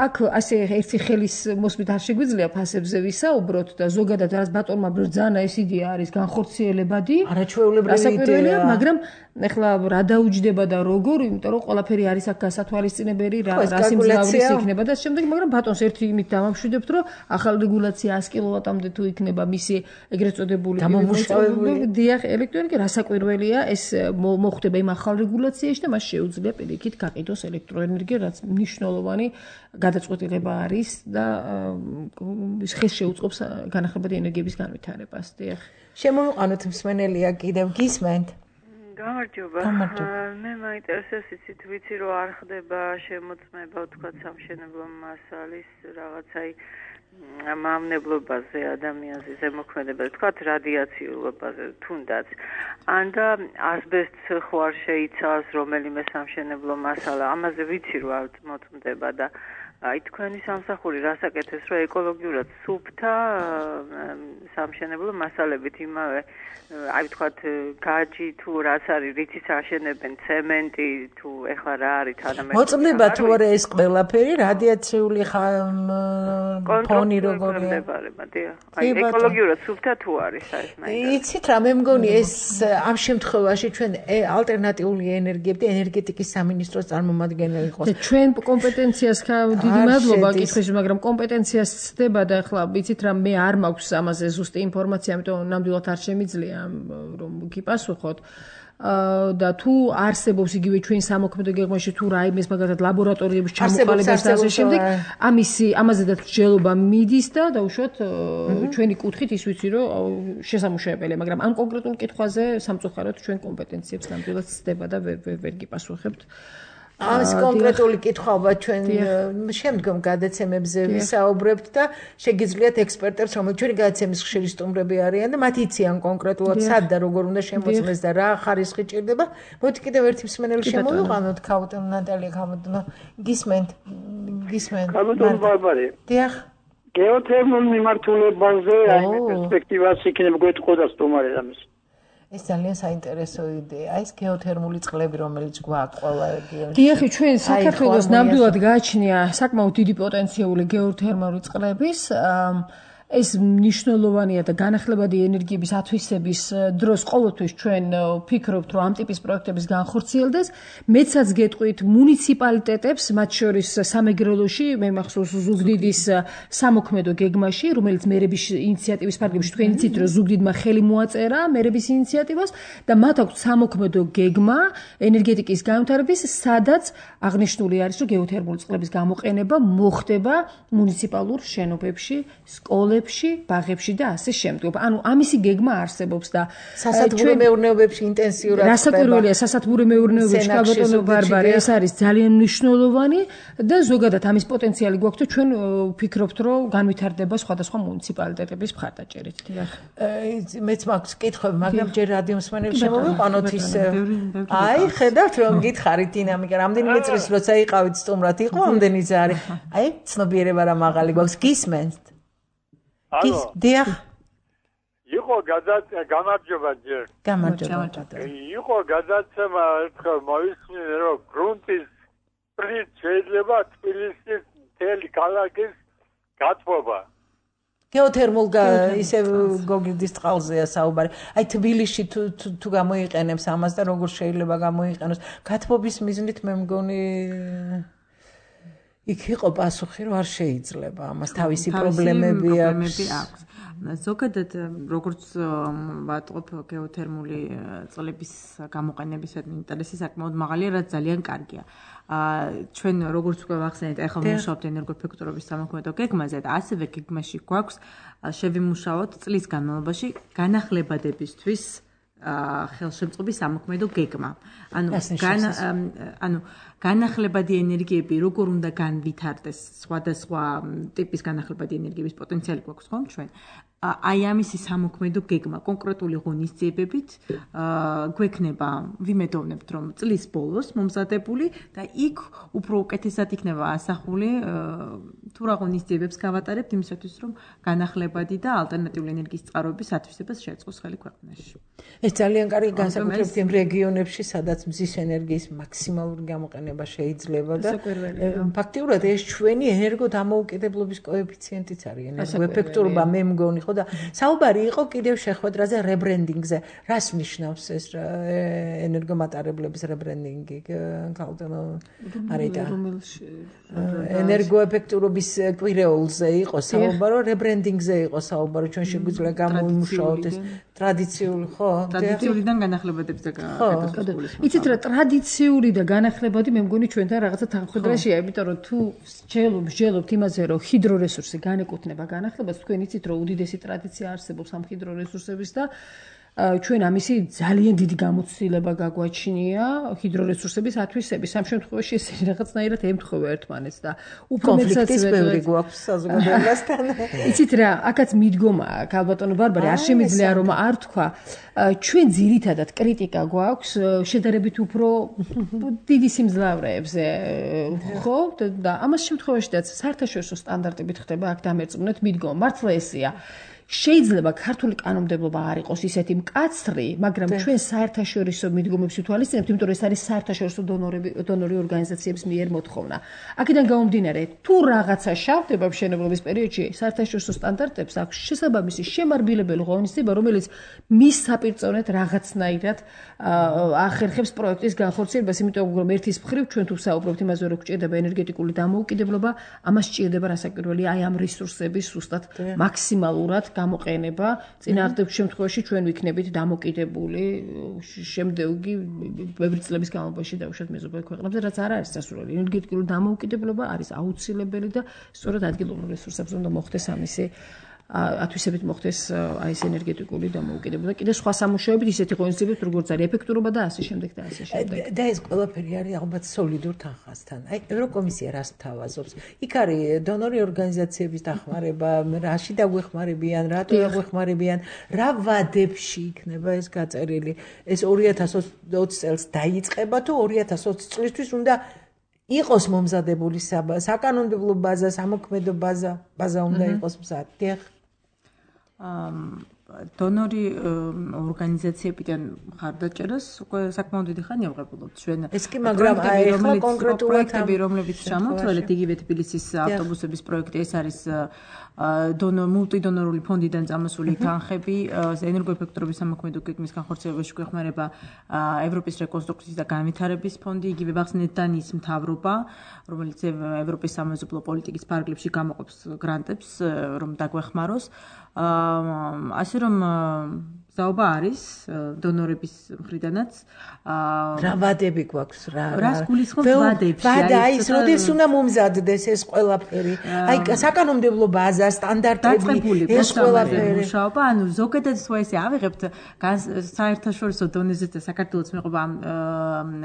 აქ ასე ერთი ხელის მოსმით არ შეგვიძლია ფასებზე ვისაუბროთ და ზოგადად რაც ბატონმა ბრძანა ეს იდეა არის განხორციელებადი, არაჩვეულებრივი, მაგრამ ეხლა რა დაუჯდება და როგორ, იმიტომ რომ ყველაფერი არის აქ გასათვალისწინებელი, რა რა სიმძლავრის იქნება და შემდეგ, მაგრამ ბატონს ერთი იმით დამამშვიდებთ, რომ ახალ რეგულაცია ას კილოვატამდე თუ იქნება მისი ეგრეთ წოდებული დამამუშავებელი დიახ ელექტროენერგია, რასაკვირველია, ეს მოხდება იმ ახალ რეგულაციაში და მას შეუძლია პირიქით გაყიდოს ელექტროენერგია, რაც მნიშვნელოვანი გადაწყვეტილება არის და ხეს შეუწყობს განახლებადი ენერგიების განვითარებას. დიახ. შემოვიყვანოთ მსმენელია კიდევ გისმენთ. გამარჯობა. მე მაინტერესებს იცით ვიცი რომ არ ხდება შემოწმება თქვა სამშენებლო მასალის რაღაცაი მამნებლობაზე ადამიანზე ზემოქმედებაზე თქვა რადიაციულობაზე თუნდაც ან და ასბესტს ხო არ შეიცავს რომელიმე სამშენებლო მასალა ამაზე ვიცი რომ არ მოწმდება და აი თქვენი სამსახური რასაკეთებს რომ ეკოლოგიურად სუფთა სამშენებლო მასალებით იმავე აი ვთქვათ გაჯი თუ რაც არის რითიც აშენებენ ცემენტი თუ ეხლა რა არის თანამედროვე მოწმდება თუ არა ეს ყველაფერი რადიაციული ფონი როგორია აი ეკოლოგიურად სუფთა თუ არის ეს მაინც იცით რა მე მგონი ეს ამ შემთხვევაში ჩვენ ალტერნატიული ენერგიები და ენერგეტიკის სამინისტროს წარმომადგენელი იყოს და ჩვენ კომპეტენციას დიდი მადლობა კითხვის, მაგრამ კომპეტენციას ცდება და ახლა ვიცით რა მე არ მაქვს ამაზე ზუსტი ინფორმაცია, ამიტომ ნამდვილად არ შემიძლია რომ გიპასუხოთ. და თუ არსებობს იგივე ჩვენ სამოქმედო გეგმაში თუ რა იმის მაგალითად ლაბორატორიების ჩამოყალიბებას და ასე შემდეგ, ამისი ამაზედაც მსჯელობა მიდის და დაუშვათ ჩვენი კუთხით ის ვიცი რომ შესამუშავებელია, მაგრამ ამ კონკრეტულ კითხვაზე სამწუხაროდ ჩვენ კომპეტენციებს ნამდვილად ცდება და ვერ ვერ გიპასუხებთ. ამის კონკრეტული კითხვაობა ჩვენ შემდგომ გადაცემებზე ვისაუბრებთ და შეგიძლიათ ექსპერტებს, რომელიც ჩვენი გადაცემის ხშირი სტუმრები არიან და მათ იციან კონკრეტულად სად და როგორ უნდა შემოწმეს და რა ხარისხი ჭირდება. მოდი კიდევ ერთი მსმენელი შემოვიყვანოთ, ქაუტონ ნატალია ქაუტონო. გისმენთ, გისმენთ. ქაუტონ ბარბარე. დიახ. გეოთერმულ მიმართულებაზე აი პერსპექტივას იქნება გვეთყო და სტუმარი ამის. ეს ძალიან საინტერესო იდეა. ეს გეოთერმული წყლები, რომელიც გვაქვს ყველა რეგიონში. დიახ, ჩვენ საქართველოს ნამდვილად გააჩნია საკმაოდ დიდი პოტენციური გეოთერმული წყლების. ეს მნიშვნელოვანია და განახლებადი ენერგიების ათვისების დროს ყოველთვის ჩვენ ვფიქრობთ, რომ ამ ტიპის პროექტების განხორციელდეს. მეცაც გეტყვით მუნიციპალიტეტებს, მათ შორის სამეგრელოში, მე მახსოვს ზუგდიდის სამოქმედო გეგმაში, რომელიც მერების ინიციატივის ფარგლებში თქვენ იცით, რომ ზუგდიდმა ხელი მოაწერა მერების ინიციატივას და მათ აქვს სამოქმედო გეგმა ენერგეტიკის განვითარების, სადაც აღნიშნული არის, რომ გეოთერმული წყლების გამოყენება მოხდება მუნიციპალურ შენობებში, სკოლებში, ბაღებში და ასე შემდგომ. ანუ ამისი გეგმა არსებობს და სასათბურო მეურნეობებში ინტენსიურად ხდება. რასაკვირველია, სასათბურო მეურნეობებში ქალბატონო ბარბარე, ეს არის ძალიან მნიშვნელოვანი და ზოგადად ამის პოტენციალი გვაქვს და ჩვენ ვფიქრობთ, რომ განვითარდება სხვადასხვა მუნიციპალიტეტების მხარდაჭერით. დიახ. მეც მაქვს კითხვები, მაგრამ ჯერ რადიო მსმენელი შემოვიყვანოთ ის. აი, ხედავთ რომ გითხარით დინამიკა, რამდენიმე წლის როცა იყავით სტუმრად, იყო ამდენი ზარი. აი, ცნობიერება რა მაღალი გვაქვს, გისმენთ. Алло. დიახ. იყო გადაცემა, გამარჯობა ჯერ. გამარჯობა. იყო გადაცემა, ერთხელ მოვისმინე, რომ გრუნტის პრინც შეიძლება თბილისის მთელი ქალაქის გათბობა. გეოთერმულ ისე გოგირდის წყალზეა საუბარი. აი თბილისში თუ თუ გამოიყენებს ამას და როგორ შეიძლება გამოიყენოს. გათბობის მიზნით მე მგონი იქ იყო პასუხი, რომ არ შეიძლება ამას თავისი პრობლემები აქვს. ზოგადად როგორც ვატყობ გეოთერმული წყლების გამოყენების ინტერესი საკმაოდ მაღალია, რაც ძალიან კარგია. ჩვენ როგორც უკვე ვახსენეთ, ახლა ვმუშაობთ ენერგოეფექტურობის სამოქმედო გეგმაზე და ასევე გეგმაში გვაქვს შევიმუშაოთ წლის განმავლობაში განახლებადებისთვის ხელშემწყობი სამოქმედო გეგმა. ანუ ანუ განახლებადი ენერგიები როგორ უნდა განვითარდეს, სხვადასხვა ტიპის განახლებადი ენერგიების პოტენციალი გვაქვს ხომ ჩვენ. აი ამისი სამოქმედო გეგმა კონკრეტული ღონისძიებებით გვექნება, ვიმედოვნებთ, რომ წლის ბოლოს მომზადებული და იქ უფრო უკეთესად იქნება ასახული თუ რა ღონისძიებებს გავატარებთ იმისათვის, რომ განახლებადი და ალტერნატიული ენერგიის წყაროების ათვისებას შეეწყოს ხელი ქვეყანაში. ეს ძალიან კარგი განსაკუთრებით იმ რეგიონებში, სადაც მზის ენერგიის მაქსიმალური გამოყენება შეიძლება და ფაქტიურად ეს ჩვენი ენერგოდამოუკიდებლობის კოეფიციენტიც არის, ენერგოეფექტურობა მე მგონი და საუბარი იყო კიდევ შეხვედრაზე რებრენდინგზე. რას ნიშნავს ეს ენერგომატარებლების რებრენდინგი? ქალბატონო არიდა. ენერგოეფექტურობის კვირეულზე იყო საუბარი, რებრენდინგზე იყო საუბარი. ჩვენ შეგვიძლია გამოვიმუშაოთ ეს ტრადიციული, ხო? ტრადიციულიდან განახლებადებს და გადასული. იცით რა, ტრადიციული და განახლებადი მე მგონი ჩვენთან რაღაცა თანხმდრაშია, იმიტომ რომ თუ შეელობ, შეელობთ იმაზე, რომ ჰიდრორესურსი განეკუთვნება განახლებას, თქვენ იცით რომ უდიდესი ტრადიცია არსებობს ამ ჰიდრორესურსების და ჩვენ ამისი ძალიან დიდი გამოცდილება გაგვაჩნია ჰიდრორესურსების ათვისების. ამ შემთხვევაში ესენი რაღაცნაირად ემთხვევა ერთმანეთს და უფრო მეცაც ბევრი გვაქვს საზოგადოებასთან. იცით რა, აქაც მიდგომა ქალბატონო ბარბარე, არ შემიძლია რომ არ თქვა, ჩვენ ძირითადად კრიტიკა გვაქვს შედარებით უფრო დიდი სიმძლავრეებზე, ხო? და ამას შემთხვევაშიც საერთაშორისო სტანდარტებით ხდება აქ დამერწმუნეთ მიდგომა. მართლა ესეა. შეიძლება ქართული კანონმდებლობა არ იყოს ისეთი მკაცრი, მაგრამ ჩვენ საერთაშორისო მიდგომებს ვითვალისწინებთ, იმიტომ რომ ეს არის საერთაშორისო დონორები, დონორი ორგანიზაციების მიერ მოთხოვნა. აქედან გამომდინარე, თუ რაღაცა შავდება მშენებლობის პერიოდში, საერთაშორისო სტანდარტებს აქვს შესაბამისი შემარბილებელი ღონისძიება, რომელიც მის საპირწონედ რაღაცნაირად ახერხებს პროექტის განხორციელებას, იმიტომ რომ ერთის მხრივ ჩვენ თუ საუბრობთ იმაზე, რომ გვჭირდება ენერგეტიკული დამოუკიდებლობა, ამას სჭირდება რასაკვირველია აი ამ რესურსების ზუსტად მაქსიმალურად გამოყენება. წინააღმდეგ შემთხვევაში ჩვენ ვიქნებით დამოკიდებული შემდეგი ბევრი წლების განმავლობაში დაუშვათ მეზობელ ქვეყნებზე, რაც არ არის სასურველი. ენერგეტიკული დამოუკიდებლობა არის აუცილებელი და სწორედ ადგილობრივ რესურსებზე უნდა მოხდეს ამისი ათვისებით მოხდეს აი ეს ენერგეტიკული დამოუკიდებლობა. კიდე სხვა სამუშაოებით ისეთი ღონისძიებებით როგორც არის ეფექტურობა და ასე შემდეგ და ასე შემდეგ. და ეს ყველაფერი არის ალბათ სოლიდურ თანხასთან. აი ევროკომისია რას თავაზობს? იქ არის დონორი ორგანიზაციების დახმარება, რაში დაგვეხმარებიან, რატო დაგვეხმარებიან, რა ვადებში იქნება ეს გაწერილი. ეს ორი ათას ოცი წელს დაიწყება თუ ორი ათას ოცი წლისთვის უნდა იყოს მომზადებული საკანონმდებლო ბაზა, სამოქმედო ბაზა, ბაზა უნდა იყოს მზადდი. დონორი ორგანიზაციებიდან მხარდაჭერას უკვე საკმაოდ დიდი ხანია ვღებულობთ ჩვენ. ეს კი მაგრამ აი ახლა კონკრეტულად პროექტები, რომლებიც ჩამოთვალეთ იგივე თბილისის ავტობუსების პროექტი, ეს არის დონო მულტიდონორული ფონდიდან წამოსული თანხები, ენერგოეფექტურობის სამოქმედო გეგმის განხორციელებაში გვეხმარება ევროპის რეკონსტრუქციის და განვითარების ფონდი, იგივე ბახსნეთ დანიის მთავრობა, რომელიც ევროპის სამეზობლო პოლიტიკის ფარგლებში გამოყოფს გრანტებს, რომ დაგვეხმაროს. ასე რომ საუბა არის დონორების მხრიდანაც რა ვადები გვაქვს რა რას გულისხმობთ ვადებში ვადა ის როდის უნდა მომზადდეს ეს ყველაფერი აი საკანონმდებლო ბაზა სტანდარტები ეს ყველაფერი მუშაობა ანუ ზოგადად სხვა ესე ავიღებთ საერთაშორისო დონეზე და საქართველოს მეყობა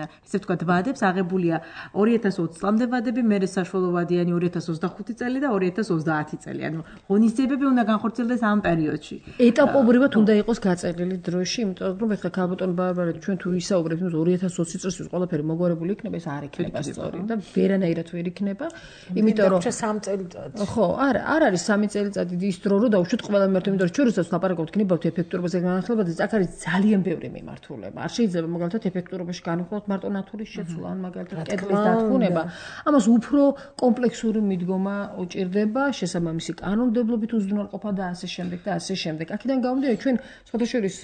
ესე ვთქვათ ვადებს აღებულია ორი ათას ოცი წლამდე ვადები მერე საშუალო ვადიანი ორი ათას ოცდახუთი წელი და ორი ათას ოცდაათი წელი ანუ ღონისძიებები უნდა განხორციელდეს ამ პერიოდში ეტაპობრივად უნდა იყოს გაწელილი დროში, იმიტომ რომ ეხლა ქალბატონი ბარბარა ჩვენ თუ ვისაუბრებთ, რომ ორი ათას ოცი წელს ყველაფერი მოგვარებული იქნება, ეს არ იქნება სწორი და ვერანაირად ვერ იქნება, იმიტომ რომ სამი წელიწადი. ხო, არა, არ არის სამი წელიწადი ის დრო, რომ დავუშვით ყველა მარტო, იმიტომ რომ ჩვენ როდესაც ლაპარაკობთ ქნებავთ ეფექტურობაზე განახლებაზე, აქ არის ძალიან ბევრი მიმართულება. არ შეიძლება მაგალითად ეფექტურობაში განვიხილოთ მარტო ნათურის შეცვლა, ან მაგალითად კედლის დათქუნება. ამას უფრო კომპლექსური მიდგომა უჭირდება, შესაბამისი კანონმდებლობით უზრუნველყოფა და ასე შემდეგ და ასე შემდეგ. აქედან გამომდინარე ჩვენ შეთაშორის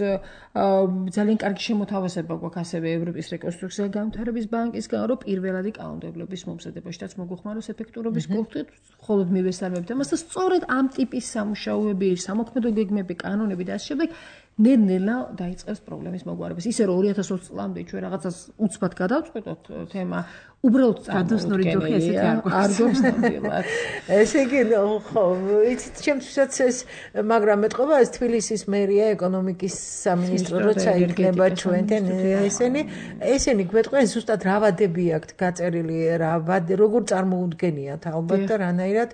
ძალიან კარგი შემოთავაზება გვაქვს ასევე ევროპის რეკონსტრუქცია და განვითარების ბანკისგან, რომ პირველადი კანონმდებლობის მომზადებაშიც მოგვეხმაროს ეფექტურობის კურსით, მხოლოდ მივესალმებთ ამას და სწორედ ამ ტიპის სამუშაოები, სამოქმედო გეგმები, კანონები და ასე შემდეგ ნელ-ნელა დაიწყებს პრობლემის მოგვარებას. ისე რომ ორი ათას ოცი წლამდე ჩვენ რაღაცას უცბად გადავწყვეტოთ თემა უბრალოდ გადოსნური ჯოხი ესეთი არ გვაქვს ნამდვილად. ესე იგი ხო, იცით ჩემთვისაც ეს მაგრამ მეტყობა ეს თბილისის მერია ეკონომიკის სამინისტრო როცა იქნება ჩვენთან ესენი ესენი გვეტყვიან ზუსტად რა ვადები აქვთ გაწერილი რა ვადე როგორ წარმოუდგენიათ ალბათ და რანაირად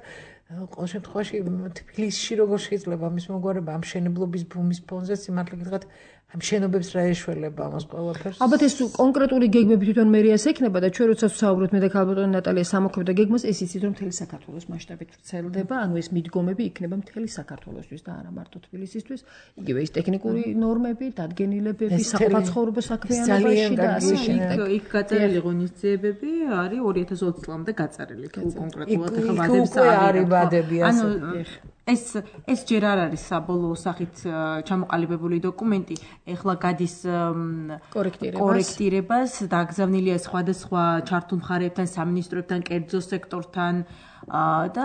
ყოველ შემთხვევაში თბილისში როგორ შეიძლება ამის მოგვარება ამ მშენებლობის ბუმის ფონზე სიმართლე გითხრათ ამ შენობებს რა ეშველება ამას ყველაფერს. ალბათ ეს კონკრეტული გეგმები თვითონ მერიას ექნება და ჩვენ როცა ვსაუბრობთ მე და ქალბატონი ნატალია სამოქმედო გეგმას, ეს იცით რომ მთელი საქართველოს მასშტაბით ვრცელდება, ანუ ეს მიდგომები იქნება მთელი საქართველოსთვის და არა მარტო თბილისისთვის. იგივე ის ტექნიკური ნორმები, დადგენილებები, საყოფაცხოვრებო საქმიანობაში და ასე შემდეგ. იქ გაწერილი ღონისძიებები არის ორი ათას ოცი წლამდე გაწერილი კონკრეტულად ახლა ვადები არის. ანუ ეს ეს ჯერ არ არის საბოლოო სახით ჩამოყალიბებული დოკუმენტი, ეხლა გადის კორექტირებას, დაგზავნილია სხვადასხვა ჩართულ მხარეებთან, სამინისტროებთან, კერძო სექტორთან და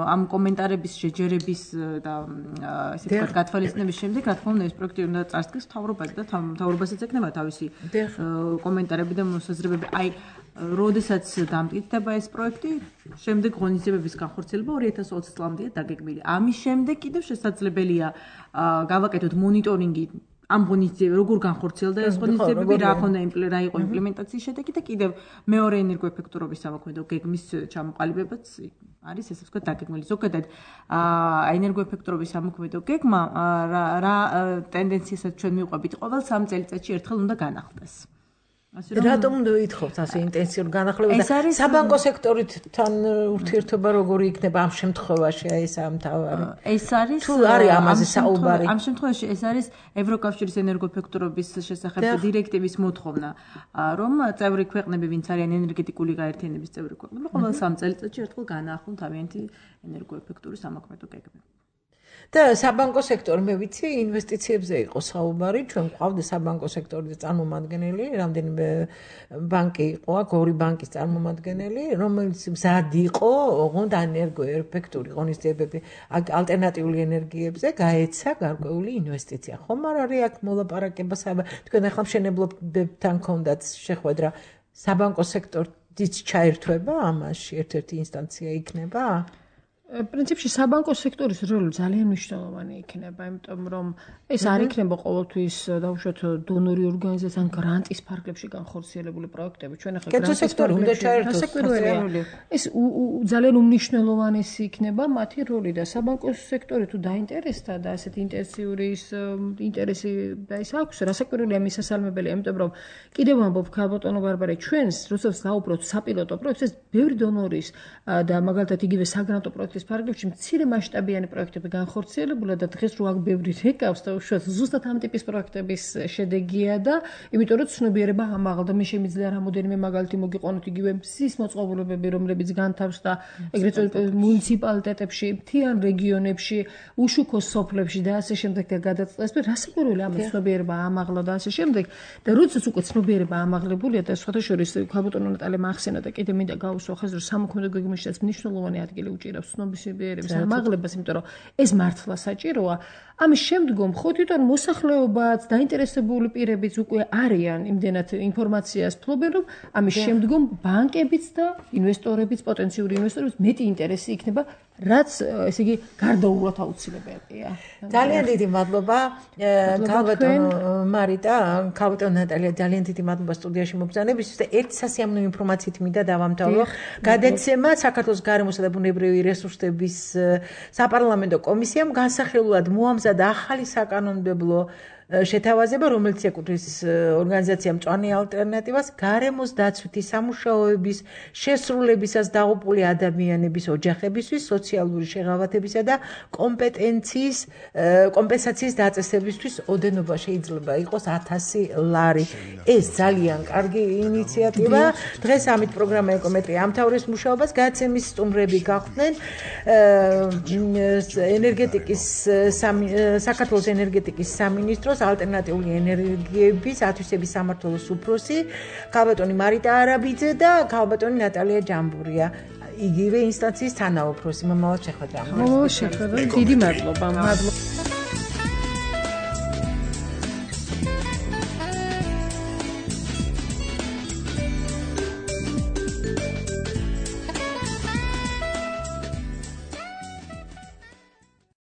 ამ კომენტარების შეჯერების და ესე ვთქვათ გათვალისწინების შემდეგ, რა თქმა უნდა, ეს პროექტი უნდა წარსდგეს მთავრობაზე და მთავრობასაც ექნება თავისი კომენტარები და მოსაზრებები. აი როდესაც დამტკიცდება ეს პროექტი, შემდეგ ღონისძიებების განხორციელება ორი ათას ოცი წლამდეა დაგეგმილი. ამის შემდეგ კიდევ შესაძლებელია გავაკეთოთ მონიტორინგი ამ ღონისძიებები, როგორ განხორციელდა ეს ღონისძიებები, რა ქონდა რა იყო იმპლემენტაციის შედეგი და კიდევ მეორე ენერგოეფექტურობის სამოქმედო გეგმის ჩამოყალიბებაც არის ესე ვთქვათ დაგეგმილი. ზოგადად ენერგოეფექტურობის სამოქმედო გეგმა რა ტენდენციასაც ჩვენ მივყვებით, ყოველ სამ წელიწადში ერთხელ უნდა განახლდეს. რატომ უნდა ვითხოვთ ასე ინტენსიურ განახლებებს და საბანკო სექტორთან ურთიერთობა როგორი იქნება ამ შემთხვევაში აი ეს ამთავარი ეს არის თუ არის ამაზე საუბარი ამ შემთხვევაში ეს არის ევროკავშირის ენერგოეფექტურობის შესახებ დირექტივის მოთხოვნა რომ წევრი ქვეყნები ვინც არიან ენერგეტიკული გაერთიანების წევრი ქვეყნები ყოველ სამ წელიწადში ერთხელ განაახლონ თავიანთი ენერგოეფექტური სამოქმედო გეგმები და საბანკო სექტორი მე ვიცი ინვესტიციებზე იყო საუბარი ჩვენ ყავდა საბანკო სექტორის წარმომადგენელი რამდენიმე ბანკი იყო აქ ორი ბანკის წარმომადგენელი რომელიც მზად იყო ოღონდ ენერგოეფექტური ღონისძიებები ალტერნატიული ენერგიებზე გაეცა გარკვეული ინვესტიცია ხომ არ არის აქ მოლაპარაკება თქვენ ახლა მშენებლობებთან ქონდათ შეხვედრა საბანკო სექტორიც ჩაერთვება ამაში ერთ-ერთი ინსტანცია იქნება პრინციპში საბანკო სექტორის როლი ძალიან მნიშვნელოვანი იქნება, იმიტომ რომ ეს არ იქნება ყოველთვის დაუშვათ დონორი ორგანიზაცია ან გრანტის ფარგლებში განხორციელებული პროექტები. ჩვენ ახლა გრანტის სექტორი უნდა ჩაერთოს. ეს ძალიან უმნიშვნელოვანესი იქნება მათი როლი და საბანკო სექტორი თუ დაინტერესდა და ასეთ ინტენსიური ინტერესი და ის აქვს, რასაკვირველია მისასალმებელი, იმიტომ რომ კიდევ ამბობ ქალბატონო ბარბარე, ჩვენს როდესაც დავუბრუნდით საპილოტო პროექტებს, ბევრი დონორის და მაგალითად იგივე საგრანტო პროექტის ფარგლებში მცირე მასშტაბიანი პროექტები განხორციელებულა და დღეს რო აქ ბევრი რეკავს და უშუალოდ ზუსტად ამ ტიპის პროექტების შედეგია და იმიტომ რომ ცნობიერება ამაღლდა. მე შემიძლია რამოდენიმე მაგალითი მოგიყვანოთ იგივე მზის მოწყობილობები, რომლებიც განთავსდა ეგრეთ წოდებული მუნიციპალიტეტებში, მთიან რეგიონებში, უშუქო სოფლებში და ასე შემდეგ და გადაწყდეს. რასაკვირველია ამ ცნობიერება ამაღლა და ასე შემდეგ და როდესაც უკვე ცნობიერება ამაღლებულია და სხვათა შორის ქალბატონო ნატალია ახსენა და კიდე მინდა გავუსვა ხაზს რომ სამოქმედო გეგმაშიც მნიშვნელოვანი ადგილი უჭირავს ცნობიერების ამაღლებას, იმიტომ რომ ეს მართლა საჭიროა. ამის შემდგომ ხო თვითონ მოსახლეობაც, დაინტერესებული პირებიც უკვე არიან იმდენად ინფორმაციას ფლობენ, რომ ამის შემდგომ ბანკებიც და ინვესტორებიც, პოტენციური ინვესტორებიც მეტი ინტერესი იქნება, რაც ესე იგი გარდაუვლად აუცილებელია. ძალიან დიდი მადლობა ქალბატონო მარიტა, ქალბატონო ნატალია, ძალიან დიდი მადლობა სტუდიაში მობრძანებისთვის და ერთ სასიამოვნო ინფორმაციით მინდა დავამთავრო. გადაცემა საქართველოს გარემოსა და ბუნებრივი რესურსების საპარლამენტო კომისიამ განსახილულად მოამზადა ახალი საკანონმდებლო შეთავაზება, რომელიც ეკუთვნის ორგანიზაცია მწვანე ალტერნატივას გარემოს დაცვითი სამუშაოების შესრულებისას დაღუპული ადამიანების ოჯახებისთვის სოციალური შეღავათებისა და კომპეტენციის კომპენსაციის დაწესებისთვის ოდენობა შეიძლება იყოს ათასი ლარი. ეს ძალიან კარგი ინიციატივა. დღეს ამით პროგრამა ეკომეტრია ამთავრებს მუშაობას. გადაცემის სტუმრები გახდნენ ენერგეტიკის საქართველოს ენერგეტიკის სამინისტრო ალტერნატიული ენერგიების ათვისების სამმართველოს უფროსი ქალბატონი მარიტა არაბიძე და ქალბატონი ნატალია ჯამბურია, იგივე ინსტანციის თანაუფროსი. მომავალ შეხვედრამდე. მომავალ შეხვედრამდე დიდი მადლობა. მადლობა.